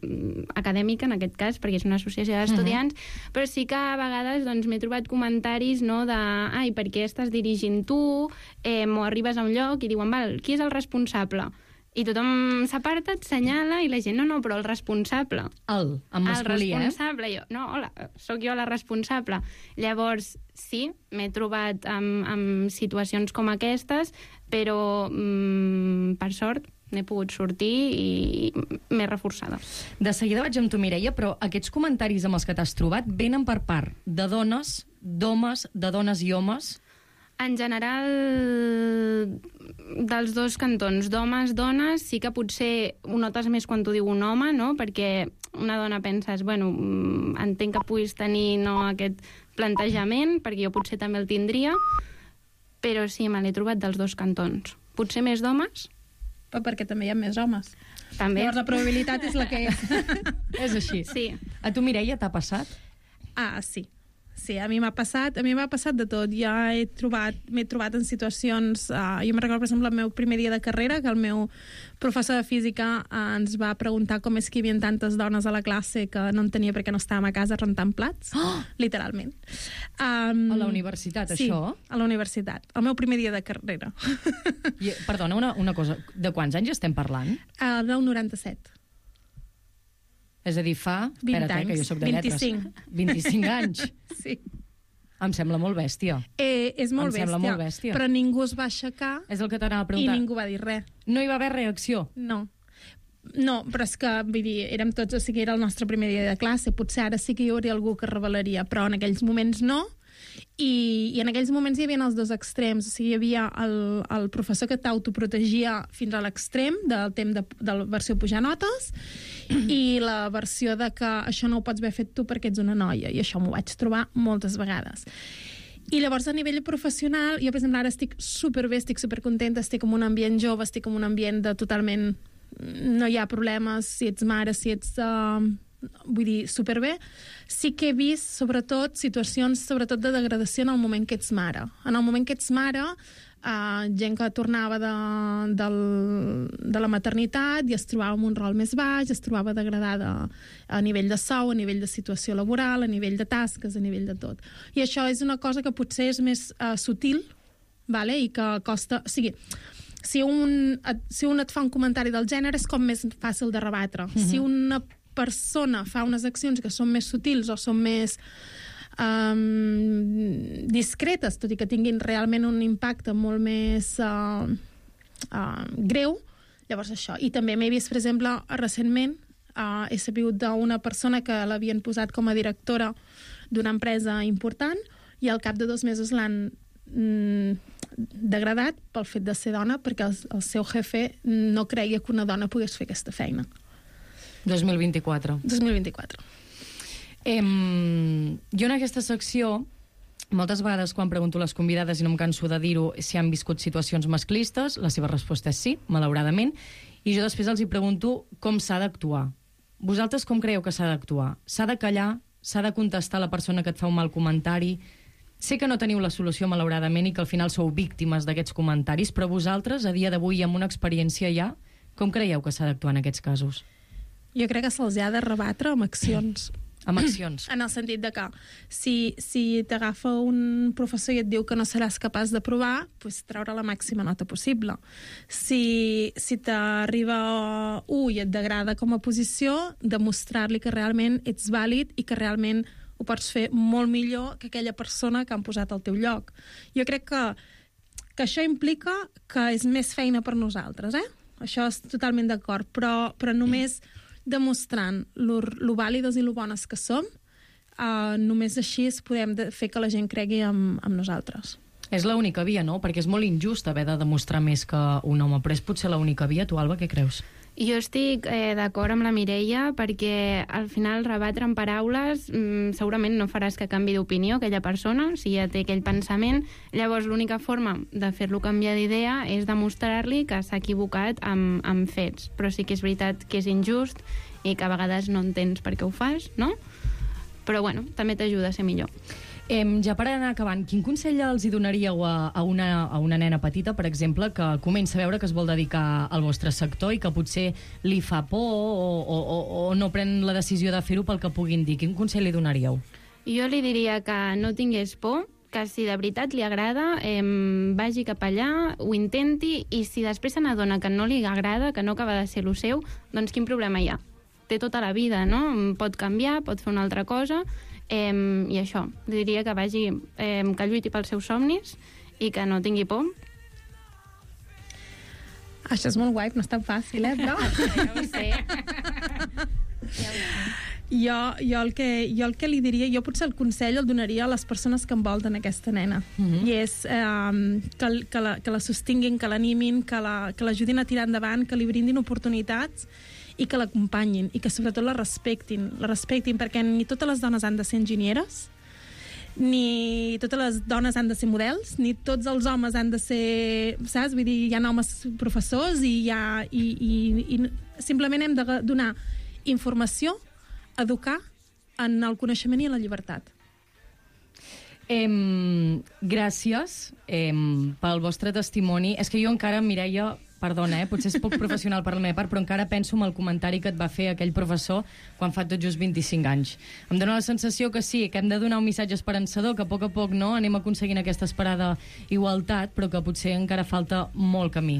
acadèmica en aquest cas, perquè és una associació d'estudiants, uh-huh. però sí que a vegades doncs, m'he trobat comentaris no, de ai, per què estàs dirigint tu? Eh, o arribes a un lloc i diuen, val, qui és el responsable? I tothom s'aparta, et senyala, i la gent, no, no, però el responsable. El, en masculí, el responsable, eh? Jo, no, hola, sóc jo la responsable. Llavors, sí, m'he trobat amb, amb situacions com aquestes, però, mmm, per sort, n'he pogut sortir i m'he reforçada. De seguida vaig amb tu, Mireia, però aquests comentaris amb els que t'has trobat venen per part de dones, d'homes, de dones i homes? En general, dels dos cantons, d'homes, dones, sí que potser ho notes més quan t'ho diu un home, no? Perquè una dona penses, bueno, entenc que puguis tenir no, aquest plantejament, perquè jo potser també el tindria, però sí, me l'he trobat dels dos cantons. Potser més d'homes? Però perquè també hi ha més homes. També. Llavors la probabilitat és la que és. És així. Sí. A tu, Mireia, t'ha passat? Ah, sí. Sí, a mi m'ha passat, a mi m'ha passat de tot. Ja he trobat, m'he trobat en situacions... Uh, jo me recordo, per exemple, el meu primer dia de carrera, que el meu professor de física uh, ens va preguntar com és que hi havia tantes dones a la classe que no entenia perquè no estàvem a casa rentant plats, oh! literalment. Um, a la universitat, sí, això? Sí, a la universitat. El meu primer dia de carrera. I, perdona, una, una cosa. De quants anys estem parlant? Uh, del noranta-set. És a dir, fa... vint Espera't, anys. eh, que jo soc de lletres. vint-i-cinc. vint-i-cinc anys. Sí. Em sembla molt bèstia. Eh, és molt em bèstia, sembla molt bèstia. Però ningú es va aixecar és el que t'anava a i preguntar. ningú va dir res. No hi va haver reacció? No. No, però és que, vull dir, érem tots, o sigui, era el nostre primer dia de classe, potser ara sí que hi hauria algú que revelaria, però en aquells moments no, i, i en aquells moments hi havia els dos extrems, o sigui, hi havia el, el professor que t'autoprotegia fins a l'extrem del temps de, de la versió pujar notes, i la versió de que això no ho pots haver fet tu perquè ets una noia, i això m'ho vaig trobar moltes vegades. I llavors, a nivell professional, jo, per exemple, ara estic superbé, estic supercontenta, estic en un ambient jove, estic en un ambient de totalment... No hi ha problemes, si ets mare, si ets... Uh, vull dir, superbé. Sí que he vist, sobretot, situacions sobretot de degradació en el moment que ets mare. En el moment que ets mare, uh, gent que tornava de, del, de la maternitat i es trobava en un rol més baix, es trobava degradada a nivell de sou, a nivell de situació laboral, a nivell de tasques, a nivell de tot. I això és una cosa que potser és més uh, sutil, vale? I que costa... O sigui, si un, et, si un et fa un comentari del gènere és com més fàcil de rebatre. Mm-hmm. Si una persona fa unes accions que són més sutils o són més um, discretes, tot i que tinguin realment un impacte molt més uh, uh, greu, llavors això. I també m'he vist, per exemple, recentment uh, he sabut d'una persona que l'havien posat com a directora d'una empresa important i al cap de dos mesos l'han mm, degradat pel fet de ser dona perquè el, el seu jefe no creia que una dona pogués fer aquesta feina. dos mil vint-i-quatre. dos mil vint-i-quatre. Em, jo en aquesta secció, moltes vegades quan pregunto a les convidades, i no em canso de dir-ho, si han viscut situacions masclistes, la seva resposta és sí, malauradament, i jo després els hi pregunto com s'ha d'actuar. Vosaltres com creieu que s'ha d'actuar? S'ha de callar? S'ha de contestar a la persona que et fa un mal comentari? Sé que no teniu la solució, malauradament, i que al final sou víctimes d'aquests comentaris, però vosaltres, a dia d'avui, amb una experiència ja, com creieu que s'ha d'actuar en aquests casos? Jo crec que se'ls ha de rebatre amb accions. Amb accions. En el sentit de que si, si t'agafa un professor i et diu que no seràs capaç d'aprovar, pues, treure la màxima nota possible. Si, si t'arriba u i et degrada com a posició, demostrar-li que realment ets vàlid i que realment ho pots fer molt millor que aquella persona que han posat al teu lloc. Jo crec que, que això implica que és més feina per nosaltres, eh? Això és totalment d'acord, però, però només demostrant lo, lo vàlides i lo bones que som, uh, només així podem de, fer que la gent cregui en, en nosaltres. És l'única via, no? Perquè és molt injust haver de demostrar més que un home, però és potser l'única via. Tu, Alba, què creus? Jo estic eh, d'acord amb la Mireia perquè al final rebatre en paraules mmm, segurament no faràs que canvi d'opinió aquella persona, si ja té aquell pensament. Llavors l'única forma de fer-lo canviar d'idea és demostrar-li que s'ha equivocat amb, amb fets. Però sí que és veritat que és injust i que a vegades no entens per què ho fas, no? Però bueno, també t'ajuda a ser millor. Em, ja per anar acabant, quin consell els hi donaríeu a, a, una, a una nena petita, per exemple, que comença a veure que es vol dedicar al vostre sector i que potser li fa por o, o, o, o no pren la decisió de fer-ho pel que puguin dir? Quin consell li donaríeu? Jo li diria que no tingués por, que si de veritat li agrada, eh, vagi cap allà, ho intenti, i si després se n'adona que no li agrada, que no acaba de ser lo seu, doncs quin problema hi ha? Té tota la vida, no? Pot canviar, pot fer una altra cosa, eh, i això, li diria que vagi, eh, que lluiti pels seus somnis i que no tingui por. Això és molt guai, no és tan fàcil, eh, però... Ja ho sé. Ja ho sé. Jo, jo, el que, jo el que li diria, jo potser el consell el donaria a les persones que envolten aquesta nena. Mm-hmm. I és eh, que, que, la, que la sostinguin, que l'animin, que l'ajudin la, a tirar endavant, que li brindin oportunitats i que l'acompanyin, i que sobretot la respectin, la respectin, perquè ni totes les dones han de ser enginyeres, ni totes les dones han de ser models, ni tots els homes han de ser, saps? Vull dir, hi ha homes professors i, hi ha, i, i, i simplement hem de donar informació, educar en el coneixement i en la llibertat. Em, gràcies em, pel vostre testimoni. És que jo encara, Mireia, perdona, eh, potser és poc professional per la meva part, però encara penso en el comentari que et va fer aquell professor quan fa tot just vint-i-cinc anys. Em dóna la sensació que sí, que hem de donar un missatge esperançador, que a poc a poc no anem aconseguint aquesta esperada igualtat, però que potser encara falta molt camí.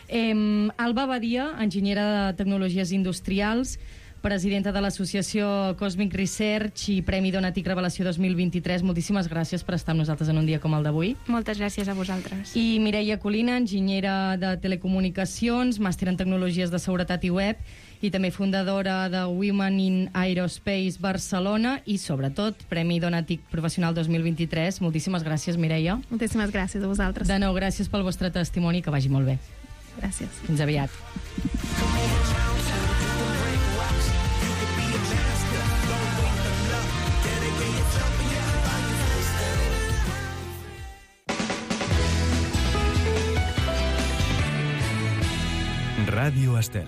Em, Alba Badia, enginyera de Tecnologies Industrials, presidenta de l'associació Cosmic Research i Premi Donatic Revelació dos mil vint-i-tres. Moltíssimes gràcies per estar amb nosaltres en un dia com el d'avui. Moltes gràcies a vosaltres. I Mireia Colina, enginyera de Telecomunicacions, màster en Tecnologies de Seguretat i Web, i també fundadora de Women in Aerospace Barcelona i, sobretot, Premi Donatic Professional dos mil vint-i-tres. Moltíssimes gràcies, Mireia. Moltíssimes gràcies a vosaltres. De nou, gràcies pel vostre testimoni, que vagi molt bé. Gràcies. Fins aviat. Ràdio Estel.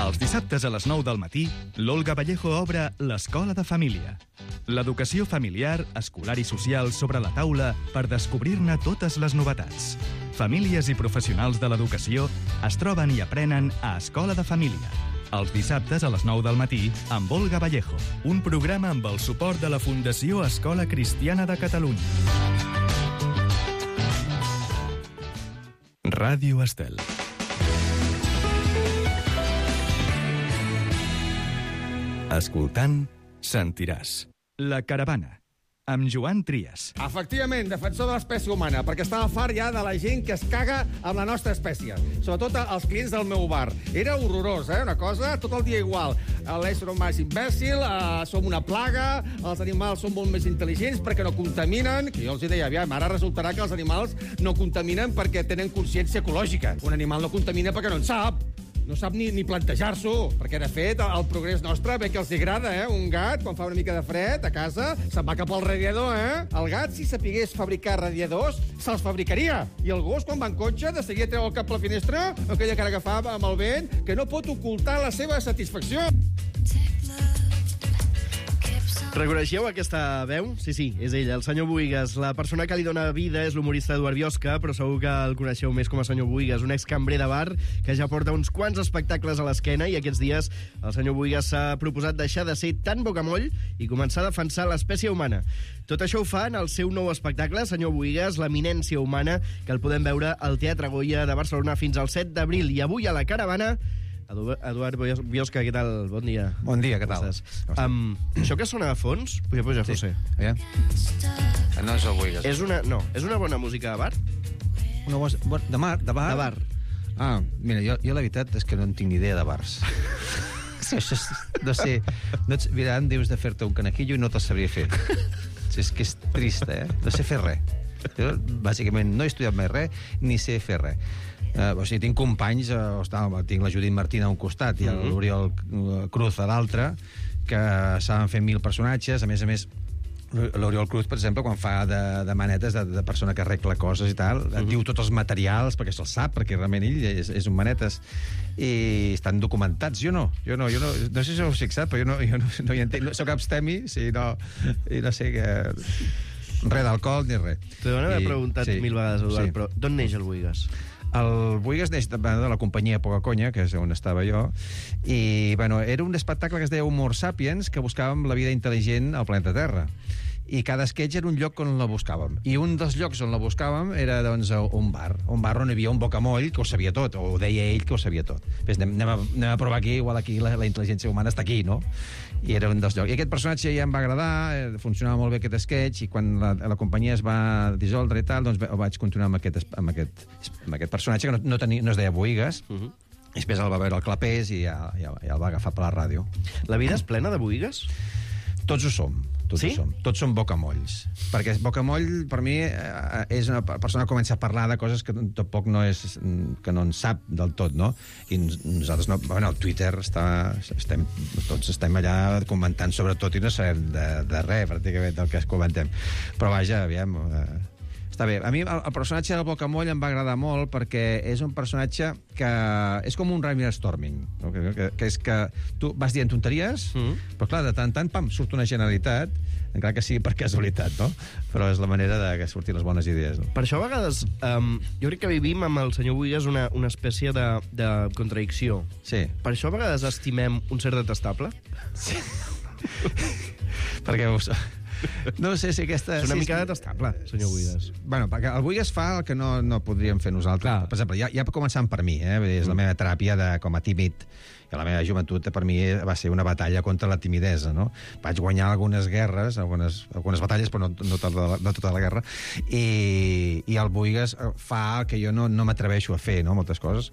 Els dissabtes a les nou del matí, l'Olga Vallejo obre l'Escola de Família. L'educació familiar, escolar i social sobre la taula per descobrir-ne totes les novetats. Famílies i professionals de l'educació es troben i aprenen a Escola de Família. Els dissabtes a les nou del matí amb Olga Vallejo, un programa amb el suport de la Fundació Escola Cristiana de Catalunya. Ràdio Estel. Escoltant, sentiràs. La Caravana, amb Joan Trias. Efectivament, defensor de l'espècie humana, perquè estava fart ja de la gent que es caga amb la nostra espècie. Sobretot els clients del meu bar. Era horrorós, eh? Una cosa tot el dia igual. L'ésser humà és imbècil, eh, som una plaga, els animals són molt més intel·ligents perquè no contaminen, que jo els deia, aviam, ara resultarà que els animals no contaminen perquè tenen consciència ecològica. Un animal no contamina perquè no en sap. No sap ni, ni plantejar-s'ho, perquè, de fet, el progrés nostre ve que els agrada, eh? Un gat, quan fa una mica de fred a casa, se'n va cap al radiador, eh? El gat, si sapigués fabricar radiadors, se'ls fabricaria. I el gos, quan va en cotxe, de seguida treu el cap a la finestra, aquella cara que fa amb el vent, que no pot ocultar la seva satisfacció. Reconeixeu aquesta veu? Sí, sí, és ell, el senyor Buigas. La persona que li dona vida és l'humorista Eduard Biosca, però segur que el coneixeu més com a senyor Buigas, un excambrer de bar que ja porta uns quants espectacles a l'esquena, i aquests dies el senyor Buigas s'ha proposat deixar de ser tan bocamoll i començar a defensar l'espècie humana. Tot això ho fa en el seu nou espectacle, senyor Buigas, l'eminència humana, que el podem veure al Teatre Goya de Barcelona fins al set d'abril. I avui a la Caravana, Eduard Biosca, què tal? Bon dia. Bon dia, què tal? Um, això que sona a fons? Puja, puja, sí. José. Yeah. No és el Buigas. És una, no, és una bona música de bar? Una bo... de, mar, de bar? De bar. Ah, mira, jo, jo la veritat és que no en tinc ni idea de bars. Això és, no sé, no ets, mira, em dius de fer-te un canaquillo i no te'l sabria fer. És que és trist, eh? No sé fer res. Jo, bàsicament, no he estudiat mai res, ni sé fer res. Uh, o sigui, tinc companys, uh, tinc la Judit Martín a un costat i l'Oriol Cruz a l'altre, que saben fer mil personatges. A més a més, l'Oriol Cruz, per exemple, quan fa de, de manetes de, de persona que arregla coses i tal, uh-huh. diu tots els materials, perquè se'ls sap, perquè realment ell és, és un manetes, i estan documentats. Jo no, jo no, jo no, no sé si ho heu fixat, però jo no, jo no, no hi entenc. Soc abstemi, sí, no, i no sé què... Res d'alcohol ni res. T'ho deuen haver preguntat sí, mil vegades, Eduard, sí. però d'on neix el Boigas? El Boigas neix de, de la companyia Poca Conya, que és on estava jo, i bueno, era un espectacle que es deia Humor Sapiens, que buscàvem la vida intel·ligent al planeta Terra. I cada sketch era un lloc on la buscàvem. I un dels llocs on la buscàvem era, doncs, un bar. Un bar on hi havia un bocamoll que ho sabia tot, o ho deia ell que ho sabia tot. Ves, anem, anem, a, anem a provar aquí, igual aquí la, la intel·ligència humana està aquí, no? I era un dels llocs. I aquest personatge ja em va agradar, eh, funcionava molt bé aquest sketch, i quan la, la companyia es va dissoldre i tal, doncs vaig continuar amb aquest, amb aquest, amb aquest personatge que no, no, tenia, no es deia Boigas. Uh-huh. I després el va veure el Clapés i ja, ja, ja el va agafar per la ràdio. La vida és plena de Boigas? Tots ho som. Tots sí? Som. Tots som bocamolls. Perquè bocamoll, per mi, eh, és una persona que comença a parlar de coses que tampoc no és... que no en sap del tot, no? I nosaltres no... Bueno, el Twitter està... Estem, tots estem allà comentant sobre tot i no sabem de, de res, pràcticament, del que es comentem. Però vaja, aviam... Eh, està bé. A mi el, el personatge del Bocamoll em va agradar molt perquè és un personatge que és com un Raimir Storming, no? que, que, que és que tu vas dient tonteries, mm. però clar, de tant en tant, pam, surt una generalitat, encara que sigui per casualitat, no? Però és la manera de que surtin les bones idees. No? Per això a vegades um, jo crec que vivim amb el senyor Boigas una, una espècie de, de contradicció. Sí. Per això a vegades estimem un ser detestable. Sí. Perquè us... No sé si aquesta... És una si mica detestable, senyor Boigas. Bueno, perquè el Boigas fa el que no, no podríem fer nosaltres. Clar. Per exemple, ja, ja començant per mi, eh? És la meva teràpia de, com a tímid. I la meva joventut, per mi, va ser una batalla contra la timidesa, no? Vaig guanyar algunes guerres, algunes, algunes batalles, però no, no, tota la, no tota la guerra, i, i el Boigas fa el que jo no, no m'atreveixo a fer, no?, moltes coses.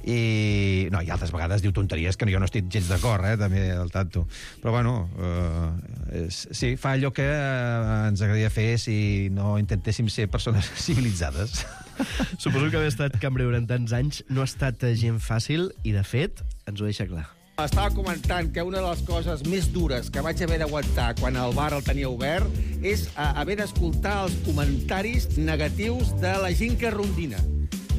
I, no, i altres vegades diu tonteries que jo no estic gens d'acord, eh?, també, al tanto. Però, bueno, eh, és, sí, fa allò que ens agradaria fer si no intentéssim ser persones civilitzades. Suposo que haver estat cambrer durant tants anys no ha estat gent fàcil i, de fet, ens ho deixa clar. Estava comentant que una de les coses més dures que vaig haver d'aguantar quan el bar el tenia obert és haver d'escoltar els comentaris negatius de la gent que rondina,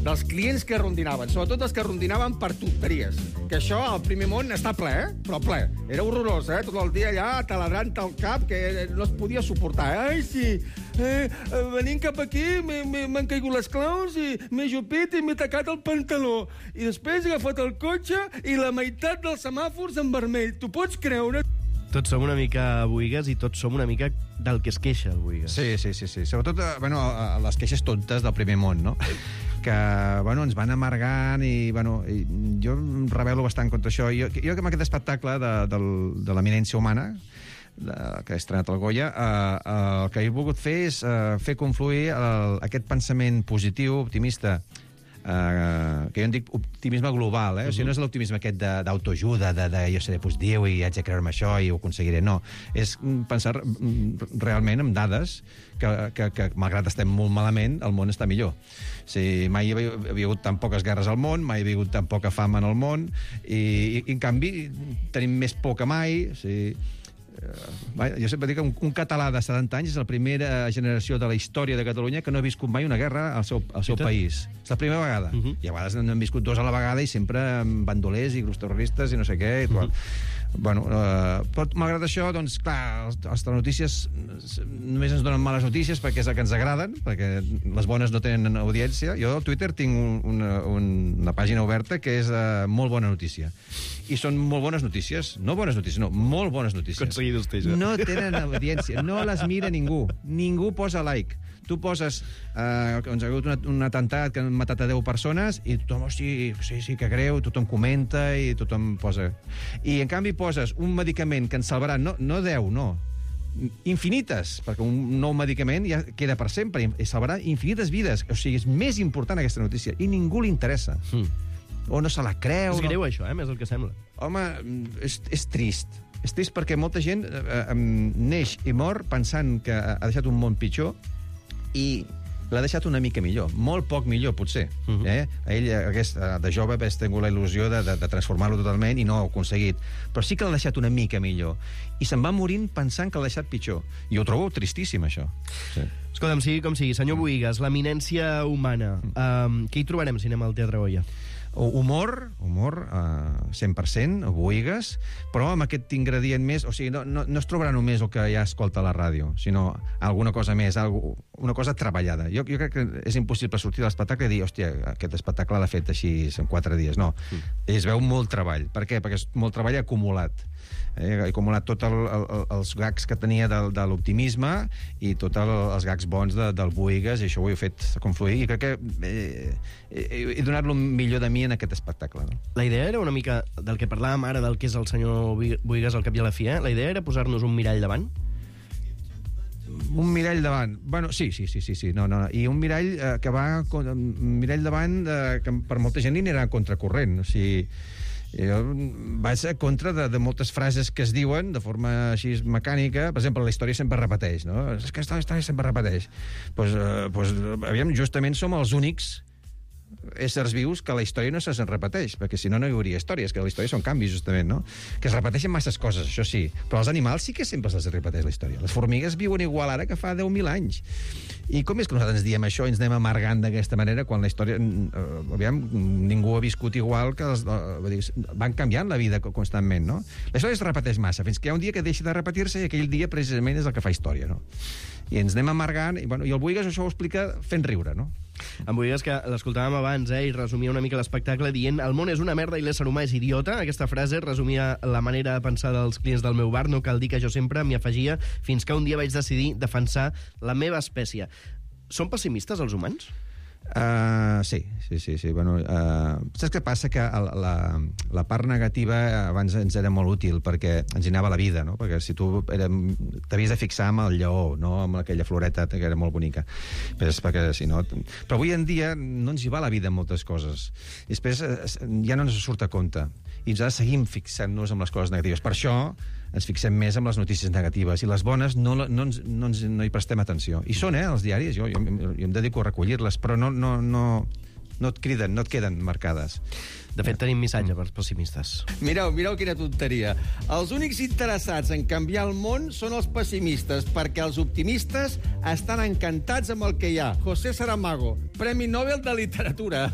dels clients que rondinaven, sobretot els que rondinaven per tonteries. Que això, al primer món, està ple, eh? Però ple. Era horrorós, eh? Tot el dia allà taladrant el cap, que no es podia suportar. Ai, sí, eh, venint cap aquí m'han caigut les claus i m'he jupit i m'he tacat el pantaló. I després he agafat el cotxe i la meitat dels semàfors en vermell. T'ho pots creure? Tots som una mica Boigas i tots som una mica del que es queixa, el Boigas. Sí, sí, sí, sí. Sobretot, bueno, les queixes tontes del primer món, no? Que, bueno, ens van amargant i, bueno, i jo em rebel·lo bastant contra això. Jo, jo amb aquest espectacle de, de, de l'eminència humana, de, que he estrenat al Goya, eh, eh, el que he volgut fer és eh, fer confluir el, aquest pensament positiu, optimista, Uh, que jo en dic optimisme global, eh? Uh-huh. O sigui, no és l'optimisme aquest d'autoajuda, de, de, de jo seré positiu i haig de creure-me això i ho aconseguiré, no. És pensar realment en dades que, que, que malgrat estem molt malament, el món està millor. O sigui, mai hi havia, havia hagut tan poques guerres al món, mai hi havia hagut tan poca fam en el món, i, i, i en canvi tenim més por que mai, o sigui... Uh, jo sempre dic que un, un català de setanta anys és la primera generació de la història de Catalunya que no ha viscut mai una guerra al seu, al seu país. És la primera vegada. Uh -huh. I a vegades n'han viscut dos a la vegada i sempre amb bandolers i grups terroristes i no sé què. I uh -huh. Bueno, uh, però malgrat això, doncs, clar, els, els telenotícies només ens donen males notícies perquè és el que ens agraden, perquè les bones no tenen audiència. Jo al Twitter tinc un, una, una pàgina oberta que és uh, molt bona notícia. I són molt bones notícies. No bones notícies, no, molt bones notícies. Conseguidos, ja. No tenen audiència, no les mira ningú. Ningú posa like. Tu poses eh, que ens ha hagut un, un atemptat que han matat a deu persones i tothom, oh, sí, sí, sí, que greu, tothom comenta i tothom posa... I en canvi poses un medicament que ens salvarà, no, no deu, no, infinites, perquè un nou medicament ja queda per sempre i salvarà infinites vides. O sigui, és més important aquesta notícia i ningú li interessa. Mm. O no se la creu... És greu, no... això, eh? Més el que sembla. Home, és, és trist. És trist perquè molta gent eh, eh, neix i mor pensant que ha deixat un món pitjor i l'ha deixat una mica millor. Molt poc millor, potser. Uh -huh. eh? Ell, aquest, de jove, ha tingut la il·lusió de, de, de transformar-lo totalment i no ho ha aconseguit. Però sí que l'ha deixat una mica millor. I se'n va morint pensant que l'ha deixat pitjor. I ho trobo tristíssim, això. Sí. Escolta'm, sigui com sigui, senyor Bohigas, l'eminència humana, um, què hi trobarem si anem al Teatre Goya? Humor, humor, uh, cent per cent, Bohigas, però amb aquest ingredient més... O sigui, no, no, no es trobarà només el que ja escolta a la ràdio, sinó alguna cosa més, algo, una cosa treballada. Jo, jo crec que és impossible sortir de l'espectacle i dir, hòstia, aquest espectacle l'ha fet així en quatre dies. No, mm. es veu molt treball. Per què? Perquè és molt treball acumulat. Eh, ha acumulat tots el, el, els gags que tenia de, de l'optimisme i tots els gags bons de, del Bohigas, i això ho he fet confluir, i crec que eh, he, he donat el millor de mi en aquest espectacle. No? La idea era una mica del que parlàvem ara, del que és el senyor Bohigas al cap i a la fi, eh? La idea era posar-nos un mirall davant? Un mirall davant. Bueno, sí, sí, sí, sí, sí. No, no. I un mirall eh, que va... Un mirall davant eh, que per molta gent n'era a contracorrent. O sigui, jo vaig a contra de, de moltes frases que es diuen de forma així mecànica. Per exemple, la història sempre repeteix, no? És que la història sempre repeteix. Doncs, eh, pues, aviam, justament som els únics éssers vius que la història no se'n repeteix, perquè si no, no hi hauria històries, que la història són canvis, justament, no? Que es repeteixen masses coses, això sí, però els animals sí que sempre se'ls repeteix la història. Les formigues viuen igual ara que fa deu mil anys. I com és que nosaltres ens diem això i ens anem amargant d'aquesta manera quan la història... Eh, aviam, ningú ha viscut igual que... Els, eh, van canviant la vida constantment, no? La història es repeteix massa, fins que hi ha un dia que deixa de repetir-se i aquell dia precisament és el que fa història, no? I ens anem amargant, i, bueno, i el Bohigas això ho explica fent riure, no? En Bohigas, que l'escoltàvem abans, eh, i resumia una mica l'espectacle dient el món és una merda i l'ésser humà és idiota. Aquesta frase resumia la manera de pensar dels clients del meu bar. No cal dir que jo sempre m'hi afegia fins que un dia vaig decidir defensar la meva espècie. Són pessimistes els humans? Uh, sí, sí, sí, sí. Bueno, uh, saps què passa? Que el, la, la part negativa abans ens era molt útil perquè ens anava la vida, no? Perquè si tu t'havies de fixar amb el lleó, no amb aquella floreta que era molt bonica. Però, perquè, si no... Però avui en dia no ens hi va la vida en moltes coses. I després ja no ens surt a compte. I ens ha de seguir fixant-nos amb les coses negatives. Per això ens fixem més amb les notícies negatives i les bones no, no, ens, no, ens, no hi prestem atenció. I són, eh, els diaris, jo, jo, jo em dedico a recollir-les, però no, no, no, no et criden, no et queden marcades. De fet, tenim missatge per pessimistes. Mireu, mireu quina tonteria. Els únics interessats en canviar el món són els pessimistes, perquè els optimistes estan encantats amb el que hi ha. José Saramago, Premi Nobel de Literatura.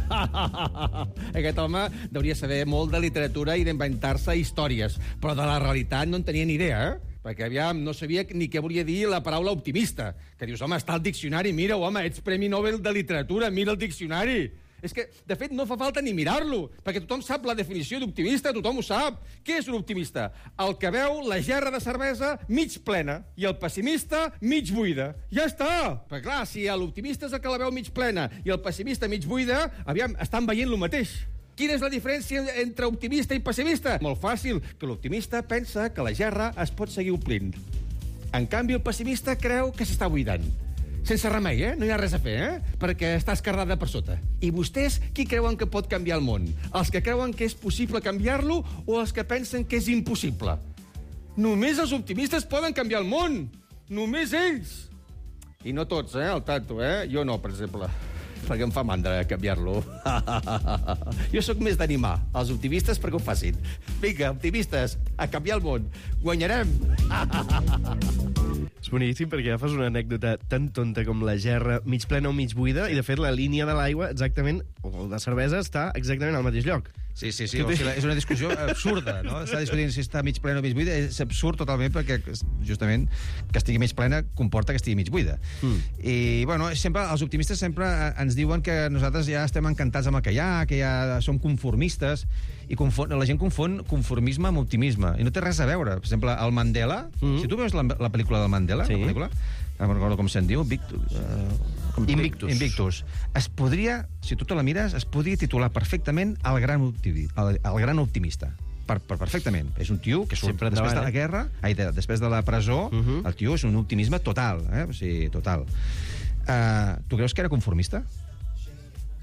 Aquest home hauria saber molt de literatura i d'inventar-se històries, però de la realitat no en tenia ni idea, eh? Perquè, aviam, no sabia ni què volia dir la paraula optimista. Que dius, home, està al diccionari, mira, home, ets Premi Nobel de Literatura, mira el diccionari. És que, de fet, no fa falta ni mirar-lo, perquè tothom sap la definició d'optimista, tothom ho sap. Què és un optimista? El que veu la gerra de cervesa mig plena i el pessimista mig buida. Ja està! Perquè, clar, si l'optimista és el que la veu mig plena i el pessimista mig buida, aviam, estan veient lo mateix. Quina és la diferència entre optimista i pessimista? Molt fàcil, que l'optimista pensa que la gerra es pot seguir omplint. En canvi, el pessimista creu que s'està buidant. Sense remei, eh? No hi ha res a fer, eh? Perquè està esquerdada per sota. I vostès, qui creuen que pot canviar el món? Els que creuen que és possible canviar-lo o els que pensen que és impossible? Només els optimistes poden canviar el món! Només ells! I no tots, eh? El tanto, eh? Jo no, per exemple. Perquè em fa mandra canviar-lo. Jo sóc més d'animar els optimistes perquè ho facin. Vinga, optimistes, a canviar el món. Guanyarem! És boníssim perquè agafes una anècdota tan tonta com la gerra mig plena o mig buida i, de fet, la línia de l'aigua exactament, o de cervesa, està exactament al mateix lloc. Sí, sí, sí. O sigui, és una discussió absurda, no? Està discutint si està mig plena o mig buida. És absurd totalment perquè, justament, que estigui mig plena comporta que estigui mig buida. Mm. I, bueno, sempre, els optimistes sempre ens diuen que nosaltres ja estem encantats amb el que hi ha, que ja som conformistes, i confon, la gent confon conformisme amb optimisme. I no té res a veure. Per exemple, el Mandela, mm. si tu veus la, la pel·lícula del Mandela, sí. la pel·lícula, no recordo com se'n diu, Victus, uh, com, Invictus. Invictus. Es podria, si tu te la mires, es podria titular perfectament El gran, optimi, el, el gran optimista. Per, per perfectament. És un tio que surt després endavant, de la eh? guerra, ai, de, després de la presó, uh -huh. el tio és un optimisme total, eh? O sigui, total. Uh, tu creus que era conformista?